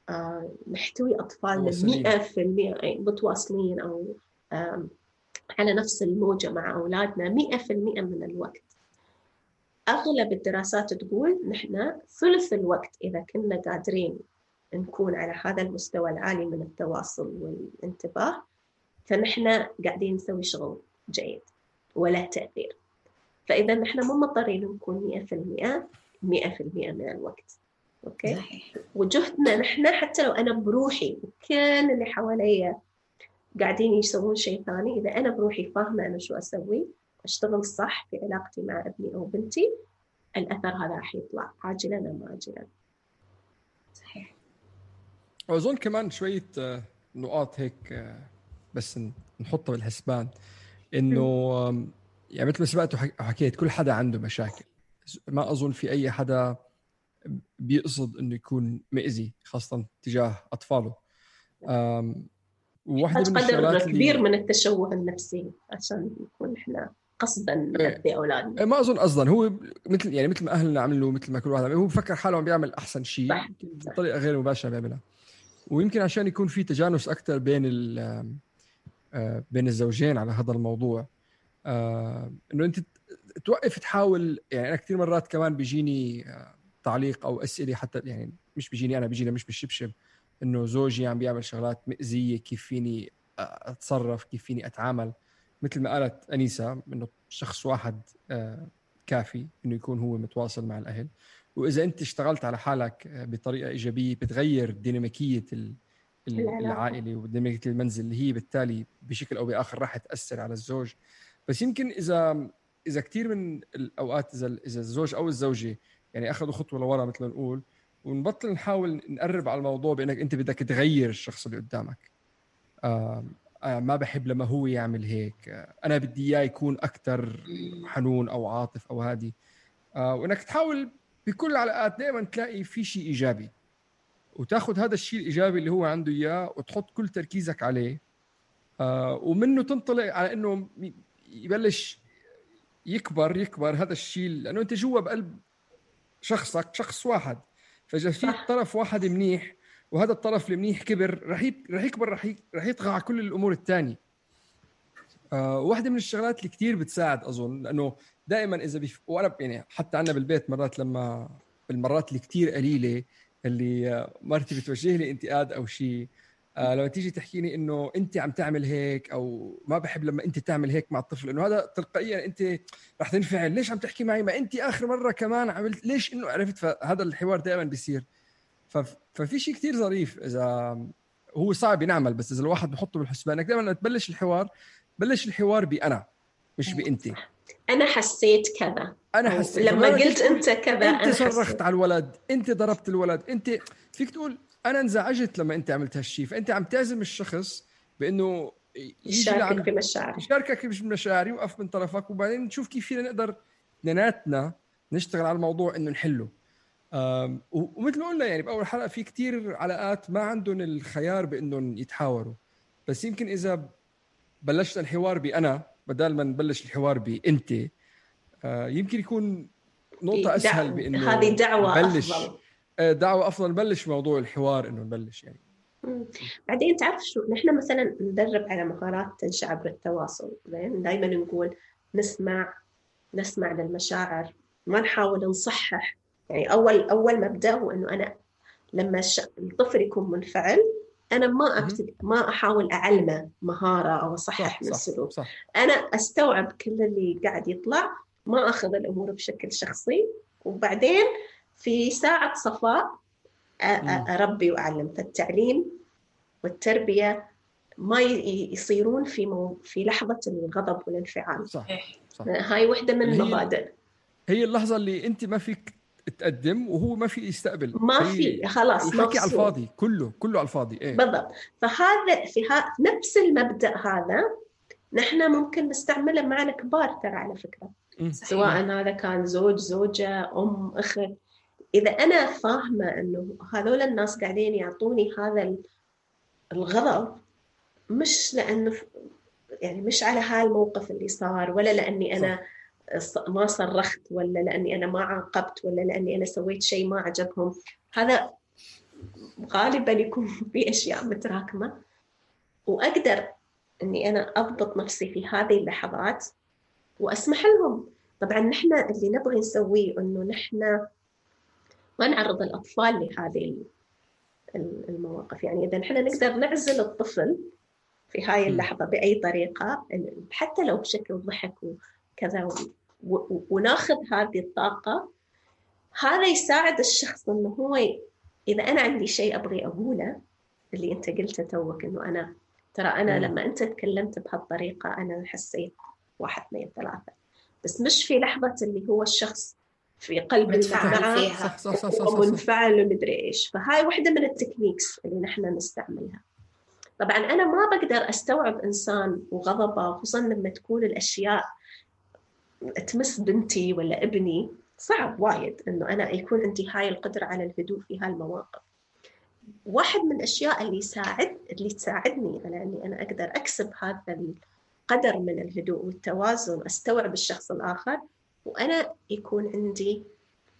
آه نحتوي أطفالنا مئة في المئة متواصلين أو آه على نفس الموجة مع أولادنا مئة في المئة من الوقت. أغلب الدراسات تقول نحن ثلث الوقت إذا كنا قادرين نكون على هذا المستوى العالي من التواصل والانتباه، فنحن قاعدين نسوي شغل جيد ولا تأثير. فإذا نحن مو مضطرين نكون مئة في المئة مئة في المئة من الوقت. أوكي. صحيح. وجهدنا نحن حتى لو أنا بروحي وكل اللي حواليا قاعدين يسوون شيء ثاني، إذا أنا بروحي فاهمة أنا شو أسوي، أشتغل صح في علاقتي مع ابني أو بنتي، الأثر هذا راح يطلع عاجلا أم آجلا. صحيح. وأظن كمان شوية نقاط هيك بس نحطها بالحسبان، إنه يعني مثل ما سبقت وحكيت كل حدا عنده مشاكل، ما أظن في أي حدا بيقصد إنه يكون مئزي خاصة تجاه أطفاله. وواحدة من الشغلات كبير اللي... من التشوه النفسي عشان نكون إحنا قصداً نأذي أولادنا. ما أظن قصداً، هو مثل يعني مثل ما أهلنا عملوا، مثل ما كل واحد هو بفكر حاله عم بيعمل أحسن شيء بطريقة غير مباشرة بيعملها، ويمكن عشان يكون في تجانس أكتر بين ال بين الزوجين على هذا الموضوع. إنه أنت توقف تحاول، يعني أنا كثير مرات كمان بيجيني تعليق أو أسئلة، حتى يعني مش بيجيني أنا، بيجينا مش بالشبشب، إنه زوجي عم بيعمل شغلات مأزية، كيف فيني أتصرف، كيف فيني أتعامل. مثل ما قالت أنيسة إنه شخص واحد كافي إنه يكون هو متواصل مع الأهل، وإذا أنت اشتغلت على حالك بطريقة إيجابية بتغير ديناميكية العائلة وديناميكية المنزل، اللي هي بالتالي بشكل أو بآخر راح تأثر على الزوج. بس يمكن إذا إذا كتير من الأوقات إذا إذا الزوج أو الزوجة يعني أخذوا خطوة لورا مثل ما نقول، ونبطل نحاول نقرب على الموضوع بأنك أنت بدك تغير الشخص اللي قدامك. آه آه ما بحب لما هو يعمل هيك، آه أنا بدي إياه يكون أكتر حنون أو عاطف أو هادي. آه وإنك تحاول بكل العلاقات دائما تلاقي في شيء إيجابي، وتاخد هذا الشيء الإيجابي اللي هو عنده إياه وتحط كل تركيزك عليه، آه ومنه تنطلق على إنه يبلش يكبر يكبر هذا الشيء، لأنه أنت جوا بقلب شخصك شخص واحد، فإذا في طرف واحد منيح وهذا الطرف المنيح كبر، رح رح يكبر، رح رح يطغى على كل الأمور الثانية. آه واحدة من الشغلات اللي كتير بتساعد أظن، لأنه دائما إذا بيف... وأنا يعني حتى عنا بالبيت مرات، لما بالمرات اللي كتير قليلة اللي مرتي بتوجه لي انتقاد أو شيء، آه لما تيجي تحكيني إنه أنت عم تعمل هيك، أو ما بحب لما أنت تعمل هيك مع الطفل، إنه هذا تلقائيا أنت رح تنفعل، ليش عم تحكي معي، ما أنت آخر مرة كمان عملت ليش، إنه عرفت. فهذا الحوار دائما بيصير. ففي شيء كتير ظريف، إذا هو صعب ينعمل، بس إذا الواحد بحطه بالحسبان، إنك دائما تبلش الحوار بلش الحوار بأنا مش بأنت. أنا حسيت كذا، أنا حسيت لما قلت أنت كذا، أنت صرخت على الولد، أنت ضربت الولد، أنت فيك تقول أنا انزعجت لما أنت عملت هالشيء. فأنت عم تعزم الشخص بأنه يشاركك في مشاعري، يشاركك في مشاعري، يوقف من طرفك، وبعدين نشوف كيف فينا نقدر اثنيناتنا نشتغل على الموضوع إنه نحله. ومثل ما قلنا يعني بأول حلقة، في كتير علاقات ما عندهم الخيار بأنهم يتحاوروا، بس يمكن إذا بلشت الحوار بأنا بدل ما نبلش الحوار بأنت، يمكن يكون نقطة أسهل بأنه هذه دعوة نبلش أفضل. دعوة أفضل نبلش موضوع الحوار، إنه نبلش يعني. مم. بعدين تعرف شو، نحن مثلا ندرب على مهارات تنشأ عبر التواصل. زين، دائما نقول نسمع نسمع للمشاعر، ما نحاول نصحح. يعني أول أول مبدأ هو إنه أنا لما الطفل يكون منفعل، أنا ما أبتدي ما أحاول أعلمه مهارة أو أصحح من السلوك. أنا أستوعب كل اللي قاعد يطلع، ما أخذ الأمور بشكل شخصي، وبعدين في ساعة صفاء أربي وأعلم. فالتعليم والتربية ما يصيرون في مو في لحظة الغضب والانفعال. صح. صح. هاي وحدة من المبادئ. هي اللحظة اللي أنت ما فيك تقدم وهو ما في يستقبل، ما في خلاص الحكي على الفاضي، كله كله على الفاضي. إيه؟ بالضبط. فهذا في ها نفس المبدأ هذا نحن ممكن نستعمله مع الكبار ترى على فكرة. صحيح. سواء هذا كان زوج، زوجة، أم، أخت. إذا أنا فاهمة إنه هذول الناس قاعدين يعطوني هذا الغضب مش لأنه يعني مش على هالموقف اللي صار، ولا لأني أنا ما صرخت، ولا لأني أنا ما عاقبت، ولا لأني أنا سويت شيء ما عجبهم. هذا غالبا يكون في أشياء متراكمة، وأقدر أني أنا أضبط نفسي في هذه اللحظات وأسمح لهم. طبعا نحن اللي نبغي نسويه أنه نحن ما نعرض الأطفال لهذه المواقف. يعني إذا نحن نقدر نعزل الطفل في هاي اللحظة بأي طريقة، حتى لو بشكل ضحك وكذا، وناخذ هذه الطاقة، هذا يساعد الشخص إنه هو إذا أنا عندي شيء أبغي أقوله، اللي أنت قلته توك إنه أنا ترى أنا م. لما أنت تكلمت بهالطريقة أنا حسيت واحد اثنين ثلاثة، بس مش في لحظة اللي هو الشخص في قلب منفعل فيها ومنفعل ومدري إيش. فهاي واحدة من التكنيكس اللي نحن نستعملها. طبعا أنا ما بقدر أستوعب إنسان وغضبه، خصوصا لما تكون الأشياء تمس بنتي ولا ابني. صعب وايد إنه أنا يكون عندي هاي القدرة على الهدوء في هالمواقف. واحد من الأشياء اللي يساعد اللي تساعدني على أني أنا أقدر أكسب هذا القدر من الهدوء والتوازن، أستوعب الشخص الآخر، وأنا يكون عندي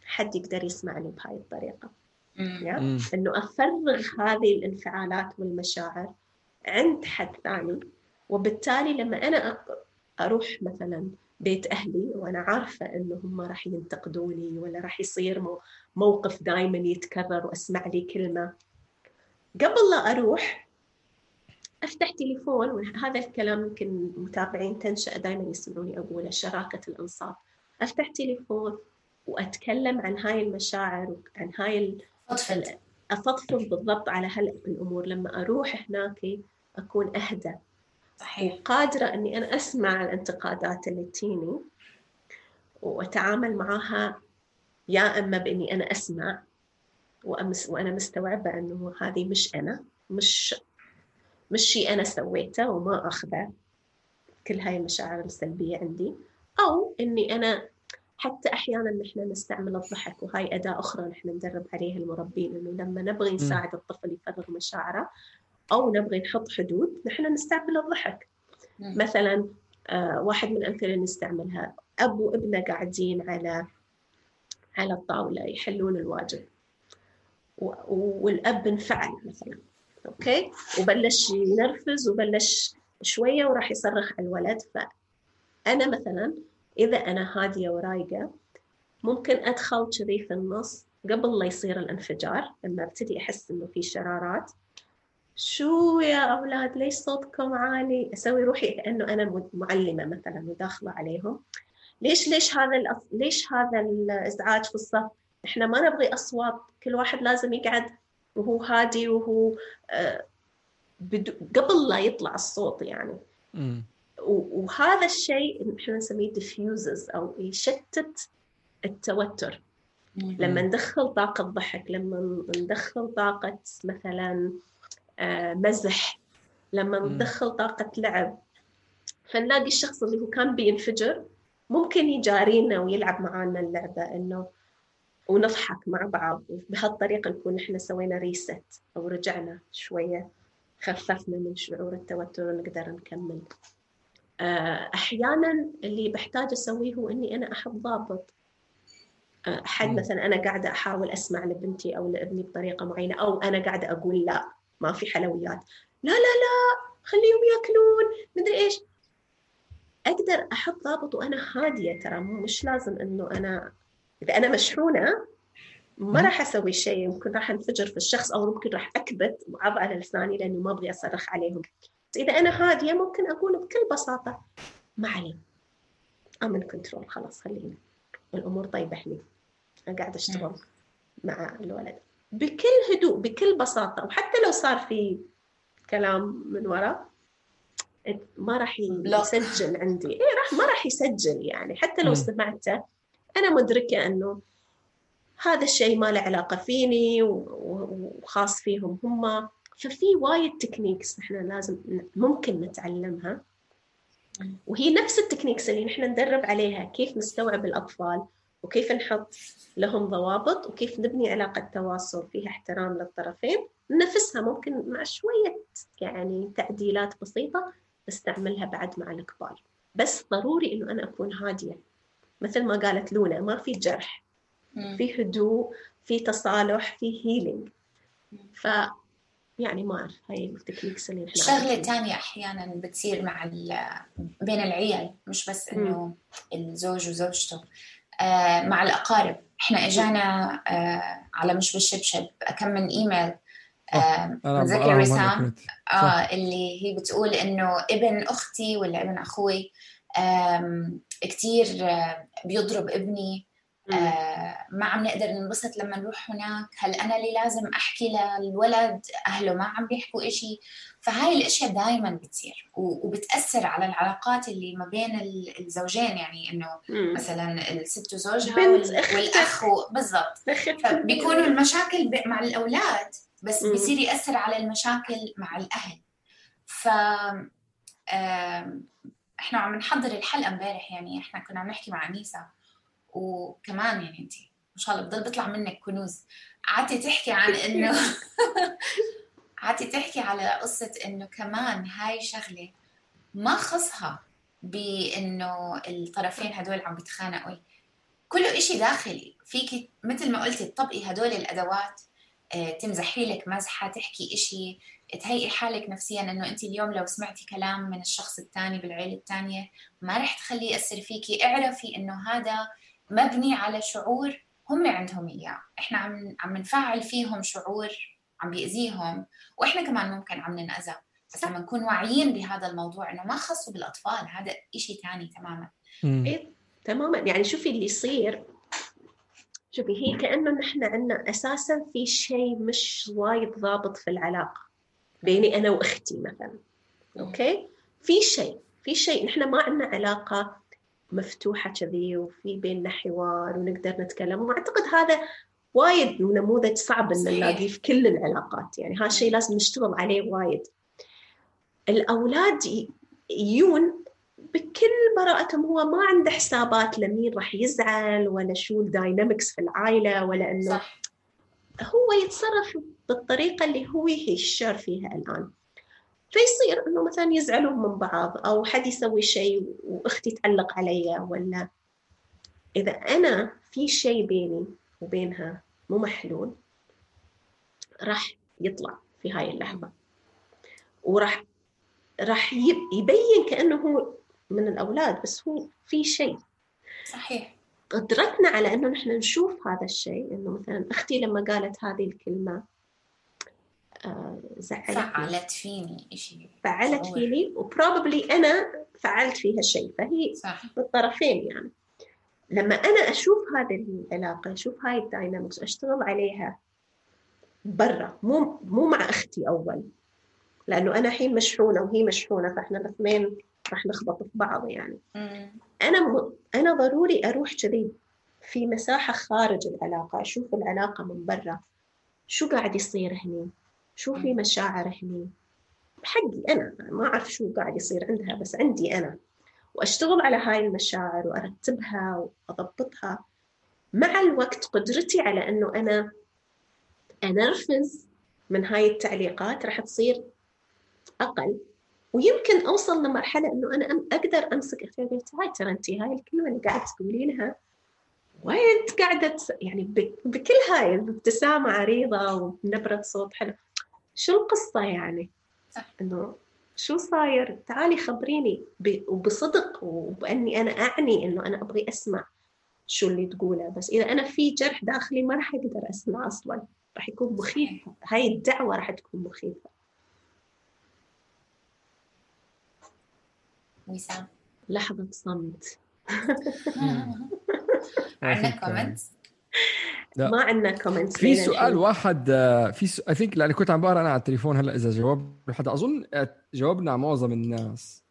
حد يقدر يسمعني بهاي الطريقة. يعني إنه أفرغ هذه الانفعالات والمشاعر عند حد ثاني. وبالتالي لما أنا أروح مثلا بيت أهلي وأنا عارفة إنه هم راح ينتقدوني، ولا راح يصير موقف دائما يتكرر وأسمع لي كلمة، قبل لا أروح أفتح تليفون. وهذا الكلام يمكن متابعين تنشأ دائما يسمعوني أقوله، شراكة الأنصاب. أفتح تليفون وأتكلم عن هاي المشاعر وعن هاي أفضفض أفضفض بالضبط على هالأمور. لما أروح هناك أكون أهدى. صحيح. وقادرة أني أنا أسمع الانتقادات اللي تيني وأتعامل معها، يا أما بإني أنا أسمع وأمس وأنا مستوعبة أنه هذه مش أنا، مش مش شيء أنا سويته، وما أخذ كل هاي المشاعر السلبية عندي. أو إني أنا حتى أحياناً نحن نستعمل الضحك، وهاي أداة أخرى نحن ندرب عليها المربين، إنه لما نبغي نساعد الطفل يفرغ مشاعره أو نبغي نحط حدود، نحن نستعمل الضحك. مثلاً آه واحد من الأمثلة نستعملها، أب وابنه قاعدين على على الطاولة يحلون الواجب، والأب انفعل مثلاً، أوكي، وبلش ينرفز وبلش شوية وراح يصرخ على الولد. فأنا مثلاً إذا أنا هادية ورايقة ممكن أدخل كذي في النص قبل لا يصير الانفجار. لما ابتدي أحس إنه في شرارات، شو يا أولاد ليش صوتكم عالي، أسوي روحي كأنه أنا معلمة مثلاً وداخلة عليهم. ليش ليش هذا الأص... ليش هذا الإزعاج في الصف؟ إحنا ما نبغي أصوات، كل واحد لازم يقعد وهو هادي وهو آه بدو... قبل لا يطلع الصوت يعني. م. وهذا الشيء نحن نسميه diffuses أو يشتت التوتر. م. لما ندخل طاقة ضحك، لما ندخل طاقة مثلا آه مزح، لما ندخل طاقة لعب، فنلاقي الشخص اللي هو كان بينفجر ممكن يجارينا ويلعب معانا اللعبة إنه ونضحك مع بعض. بهالطريقة نكون نحن سوينا ريست أو رجعنا شوية، خففنا من شعور التوتر ونقدر نكمل. أحياناً اللي بحتاج أسويه هو إني أنا أحط ضابط. أحد مثلاً أنا قاعدة أحاول أسمع لبنتي أو لابني بطريقة معينة، أو أنا قاعدة أقول لا ما في حلويات، لا لا لا خليهم يأكلون مدري إيش. أقدر أحط ضابط وأنا هادية. ترى مش لازم إنه أنا إذا أنا مشحونة ما راح أسوي شيء، ممكن راح أنفجر في الشخص، أو ممكن راح أكبت وعض على لساني لأنه ما أبغي أصرخ عليهم. إذا أنا هادية ممكن أقول بكل بساطة ما علي، أمن كنترول، خلاص خليني الأمور طيبة حلي، أنا قاعدة أشتغل مع الولد بكل هدوء بكل بساطة. وحتى لو صار في كلام من وراء ما راح يسجل عندي، إيه راح ما راح يسجل يعني. حتى لو سمعته أنا مدركة أنه هذا الشيء ما له علاقة فيني وخاص فيهم هم. ففي وايد تكنيكس إحنا لازم ممكن نتعلمها، وهي نفس التكنيكس اللي نحن ندرب عليها كيف نستوعب الأطفال وكيف نحط لهم ضوابط وكيف نبني علاقة تواصل فيها احترام للطرفين. نفسها ممكن مع شوية يعني تعديلات بسيطة نستعملها بعد مع الكبار، بس ضروري إنه أنا أكون هادية مثل ما قالت لونا، ما في جرح، في هدوء، في تصالح، في هيلينج. ف يعني ما أعرف هاي التكنيكس اللي إحنا شغلة تانية أحياناً بتصير مع بين العيال، مش بس إنه الزوج وزوجته، آه مع الأقارب. إحنا إجانا آه على مش بالشبشب كم من إيميل آه متذكر رسام آه اللي هي بتقول إنه ابن أختي ولا ابن أخوي آه كتير آه بيضرب ابني، آه ما عم نقدر ننبسط لما نروح هناك، هل أنا اللي لازم أحكي للولد أهله ما عم بيحكوا إشي؟ فهاي الأشياء دايما بتصير وبتأثر على العلاقات اللي ما بين الزوجين، يعني إنه مم. مثلا الست وزوجها والأخ بالضبط، فبيكونوا المشاكل مع الأولاد بس مم. بيصير يأثر على المشاكل مع الأهل. ف آه إحنا عم نحضر الحلقة امبارح، يعني إحنا كنا عم نحكي مع أنيسة وكمان يعني انتي ما شاء الله بضل بيطلع منك كنوز. عادي تحكي عن انه عادي تحكي على قصة انه كمان هاي شغلة ما خصها بانه الطرفين هدول عم بيتخانقوا، كله اشي داخلي فيك، مثل ما قلتي تطبقي هدول الادوات، تمزحي لك مزحة، تحكي اشي، تهيئي حالك نفسيا انه انت اليوم لو سمعتي كلام من الشخص الثاني بالعيلة الثانية ما رح تخليه يأثر فيكي. اعرفي انه هذا مبني على شعور هم عندهم إياه، إحنا عم عم نفعل فيهم شعور عم بيأذيهم، وإحنا كمان ممكن عم ننأذى. بس لما نكون واعيين بهذا الموضوع إنه ما خصه بالأطفال، هذا إشي تاني تماماً. إيه تماماً. يعني شوفي اللي يصير، شوفي هي كأنه نحن عنا أساساً في شيء مش وايد ضابط في العلاقة بيني أنا وأختي مثلاً، أوكي؟ في شيء في شيء نحن ما عنا علاقة مفتوحة كذي وفي بيننا حوار ونقدر نتكلم، وأعتقد هذا وايد نموذج صعب إن نلاقيه في كل العلاقات. يعني هذا الشيء لازم نشتغل عليه وايد. الأولاد يجون بكل براءتهم، هو ما عنده حسابات لمين راح يزعل ولا شو الداينامكس في العائلة، ولا إنه صح. هو يتصرف بالطريقة اللي هو يشعر فيها الآن. فيصير إنه مثلاً يزعلوا من بعض أو حد يسوي شيء وأختي تعلق عليا، ولا إذا أنا في شيء بيني وبينها مو محلول راح يطلع في هاي اللحظة، وراح راح يبين كأنه هو من الأولاد، بس هو في شيء صحيح. قدرتنا على إنه نحن نشوف هذا الشيء، إنه مثلاً أختي لما قالت هذه الكلمة آه زعلت فعلت فيني إشي، فعلت شعور. فيني وبروبابلي أنا فعلت فيها شيء، فهي صح. بالطرفين. يعني لما أنا أشوف هذه العلاقة، أشوف هاي الداينامكس، أشتغل عليها برا، مو مو مع أختي أول، لأنه أنا حين مشحونة وهي مشحونة، فإحنا الاثنين راح نخبط في بعض. يعني مم. أنا م... أنا ضروري أروح كذي في مساحة خارج العلاقة، أشوف العلاقة من برا، شو قاعد يصير هني، شو في مشاعر هني حقي أنا، ما أعرف شو قاعد يصير عندها بس عندي أنا، وأشتغل على هاي المشاعر وأرتبها وأضبطها. مع الوقت قدرتي على أنه أنا أنرفز من هاي التعليقات راح تصير أقل، ويمكن أوصل لمرحلة أنه أنا أقدر أمسك أختي هاي ترى أنتي هاي الكلمة اللي قاعد تقولينها وين قاعدة يعني بكل هاي الابتسامة عريضة ونبرة صوت حلو، شو القصة يعني؟ إنه شو صاير؟ تعالي خبريني وبصدق وبأني أنا أعني إنه أنا أبغي أسمع شو اللي تقوله. بس إذا أنا في جرح داخلي ما راح أقدر أسمع أصلاً، راح يكون مخيف، هاي الدعوة راح تكون مخيفة. وسام لحظة صمت. عندنا كومنت؟ ما عندنا كومنت. في سؤال واحد في س... I think لأني كنت عم بقرأ أنا على التليفون هلأ إذا جواب حدا، أظن جاوبنا معظم الناس.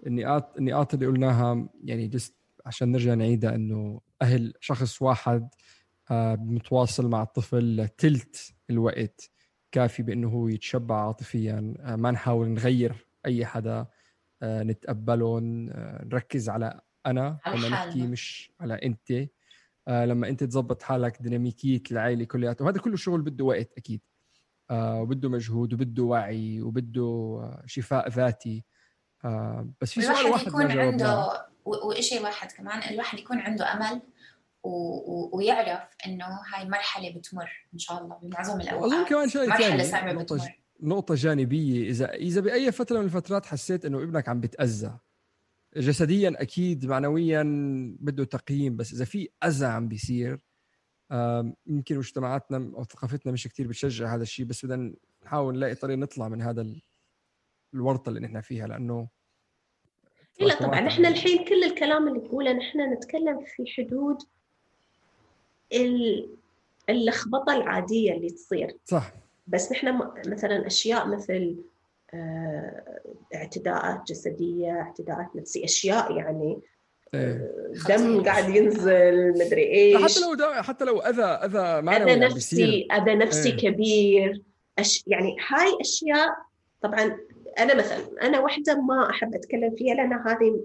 النقاط النقاط اللي قلناها يعني just عشان نرجع نعيدها إنه أهل شخص واحد متواصل مع الطفل تلت الوقت كافي بأنه هو يتشبع عاطفيا. ما نحاول نغير أي حدا، نتقبلهم، نركز على أنا لما نحكي مش على أنت. لما أنت تزبط حالك ديناميكية العائلة كلها، وهذا كله شغل بده وقت أكيد، وبده مجهود وبده وعي وبده شفاء ذاتي. بس في سؤال واحد يكون عنده وإشي واحد كمان، الواحد يكون عنده أمل و... ويعرف إنه هاي مرحلة بتمر إن شاء الله بمعظم الأوقات. أظن كمان شيء مرحلة ثاني، نقطة, نقطة جانبية، إذا إذا بأي فترة من الفترات حسيت إنه ابنك عم بتأذى جسديا، أكيد معنويا بده تقييم، بس إذا في أذى عم بيصير، يمكن مجتمعاتنا أو ثقافتنا مش كتير بتشجع هذا الشيء، بس بدنا نحاول نلاقي طريقة نطلع من هذا الورطة اللي نحن فيها. لأنه لا طبعا نحن الحين كل الكلام اللي نقوله نحن نتكلم في حدود اللخبطة العادية اللي تصير، صح. بس نحن مثلا أشياء مثل اعتداءات جسدية، اعتداءات نفسية، أشياء يعني دم قاعد ينزل مدري إيش، حتى لو دم، حتى لو أذى أذى معنوي، أذى نفسي أذى نفسي ايه. كبير أش... يعني هاي أشياء طبعا أنا مثلا أنا واحدة ما أحب أتكلم فيها لأن هذه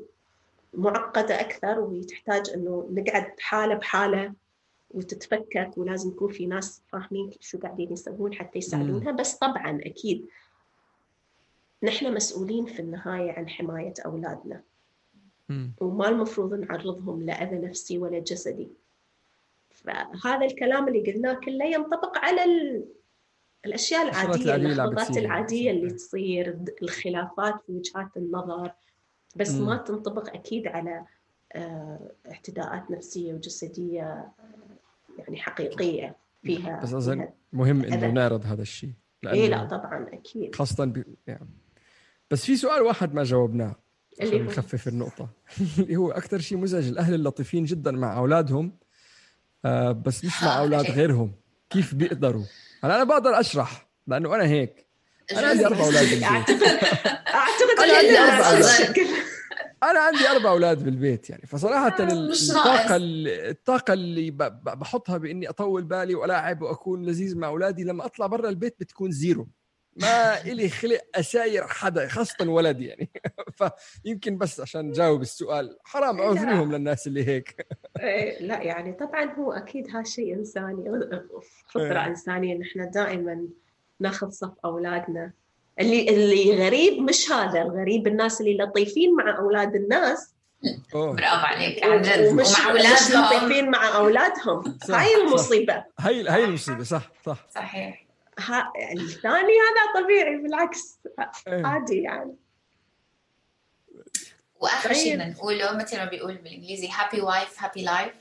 معقدة أكثر وتحتاج إنه نقعد حالة بحالة وتتفكك، ولازم يكون في ناس فاهمين شو قاعدين يسوون حتى يساعدونها. بس طبعا أكيد نحن مسؤولين في النهاية عن حماية أولادنا، مم. وما المفروض نعرضهم لأذى نفسي ولا جسدي. فهذا الكلام اللي قلناه كله ينطبق على ال... الأشياء العادية، اللخبطات العادية اللي تصير، الخلافات في وجهات النظر، بس مم. ما تنطبق أكيد على اعتداءات نفسية وجسدية يعني حقيقية فيها. بس أظن مهم إنه نعرض هذا الشيء. إيه لا طبعا أكيد، خاصة ب... يعني. بس في سؤال واحد ما جاوبناه عشان نخفف النقطة اللي هو أكثر شيء مزعج، الأهل اللطيفين جدا مع أولادهم آه بس مش مع أولاد غيرهم، كيف بيقدروا؟ أنا أنا بقدر أشرح لأنه أنا هيك، أنا عندي أربع أولاد بالبيت. أعتقد أعتقد أنا عندي أربع أولاد أنا عندي أربع أولاد بالبيت يعني. فصراحة الطاقة الطاقة اللي بحطها بإني أطول بالي وألاعب وأكون لذيذ مع أولادي لما أطلع برا البيت بتكون زيرو. ما إلي خلق أساير حدا خاصة ولد يعني. فيمكن بس عشان جاوب السؤال، حرام عذرهم للناس اللي هيك. لا يعني طبعا هو أكيد هالشيء إنساني، فطرة إنسانية، نحن دائما ناخذ صف أولادنا. اللي اللي غريب مش هذا الغريب، الناس اللي لطيفين مع أولاد الناس، برافو عليك عن جد، ومع أولادهم لطيفين مع أولادهم. هاي المصيبة، هاي هاي المصيبة. صح صح صحيح. ها الثاني هذا طبيعي بالعكس عادي يعني. وآخر شيء نقوله مثل ما بيقول بالإنجليزي happy wife happy life.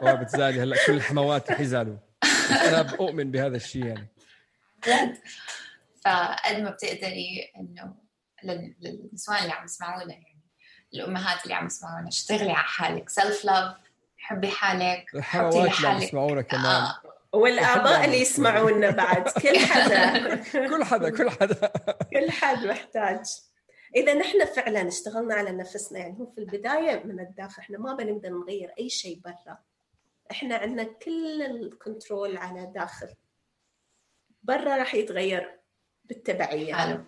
ف... بتزعلي هلا كل الحموات حيزعلوا، أنا بؤمن بهذا الشيء يعني جد. فقد ما بتقدري إنه للنسوان اللي عم يسمعونا، يعني الأمهات اللي عم يسمعونا، اشتغلي على حالك، self love، حبي حالك، حطي لحالك، يسمعونا كمان آه. والآباء اللي يسمعونا بعد، كل حدا كل حدا كل حدا كل حد محتاج. إذا نحن فعلا اشتغلنا على نفسنا، يعني هو في البداية من الداخل، احنا ما بنقدر نغير أي شيء برا، احنا عندنا كل الكنترول على داخل، برا راح يتغير بالتبعية. حلو.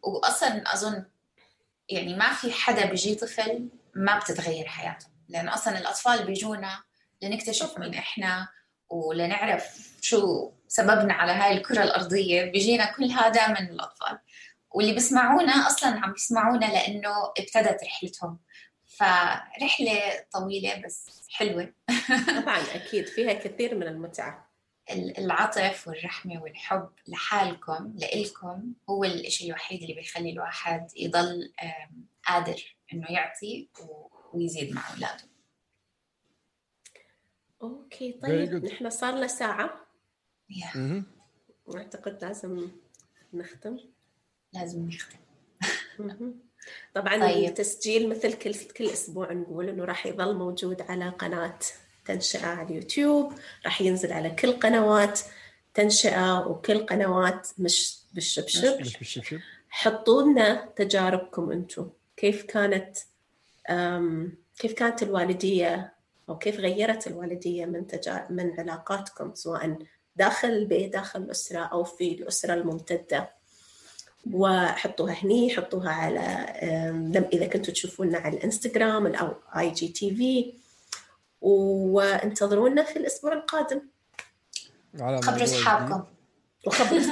وأصلا أظن يعني ما في حدا بيجي طفل ما بتتغير حياته، لأن أصلا الأطفال بيجونا لنكتشف مين إحنا ولنعرف شو سببنا على هاي الكرة الأرضية. بيجينا كل هذا من الأطفال، واللي بيسمعونا أصلاً عم بيسمعونا لأنه ابتدت رحلتهم. فرحلة طويلة بس حلوة. طبعاً أكيد فيها كثير من المتعة. العطف والرحمة والحب لحالكم لإلكم هو الإشي الوحيد اللي بيخلي الواحد يضل قادر إنه يعطي ويزيد مع أولاده. أوكي طيب نحن صار لنا ساعة. yeah. أعتقد لازم نختم. لازم نختم. طبعا طيب. التسجيل مثل كل كل أسبوع نقول إنه راح يظل موجود على قناة تنشئة على اليوتيوب، راح ينزل على كل قنوات تنشئة وكل قنوات مش بالشبشب. مش بالشبشب. حطوا لنا تجاربكم أنتم، كيف كانت كيف كانت الوالدية أو كيف غيرت الوالدية من تجا... من علاقاتكم سواء داخل البيت داخل الأسرة أو في الأسرة الممتدة. وحطوها هني، حطوها على إذا كنتوا تشوفونا على الإنستغرام أو آي جي تي في، وانتظرونا في الأسبوع القادم. خبروا أصحابكم وخبروا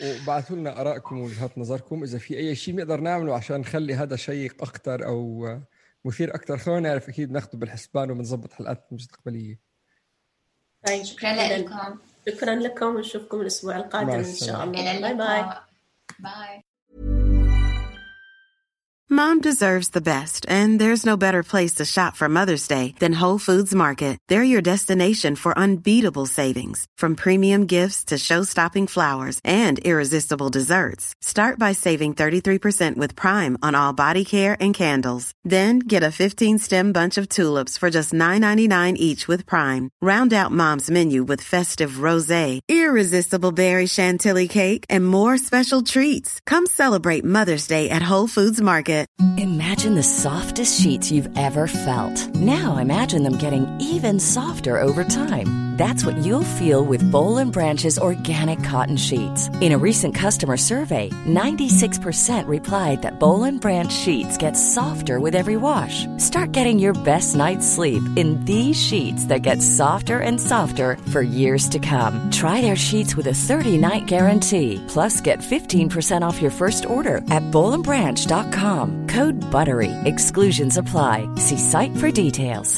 وبعثوا لنا آرائكم ووجهات نظركم. إذا في أي شيء نقدر نعمله عشان نخلي هذا شيق أكتر أو مثير أكتر خلونا نعرف، أكيد ناخده بالحسبان وبنظبط حلقات مستقبلية. طيب شكرا لكم. شكرا لكم ونشوفكم الأسبوع القادم إن شاء الله. باي باي. Bye. Mom deserves the best, and there's no better place to shop for Mother's Day than Whole Foods Market. They're your destination for unbeatable savings, from premium gifts to show-stopping flowers and irresistible desserts. Start by saving thirty-three percent with Prime on all body care and candles. Then get a fifteen-stem bunch of tulips for just nine ninety-nine each with Prime. Round out Mom's menu with festive rosé, irresistible berry chantilly cake, and more special treats. Come celebrate Mother's Day at Whole Foods Market. Imagine the softest sheets you've ever felt. Now imagine them getting even softer over time. That's what you'll feel with Boll and Branch's organic cotton sheets. In a recent customer survey, ninety-six percent replied that Boll and Branch sheets get softer with every wash. Start getting your best night's sleep in these sheets that get softer and softer for years to come. Try their sheets with a thirty-night guarantee. Plus, get fifteen percent off your first order at boll and branch dot com. Code BUTTERY. Exclusions apply. See site for details.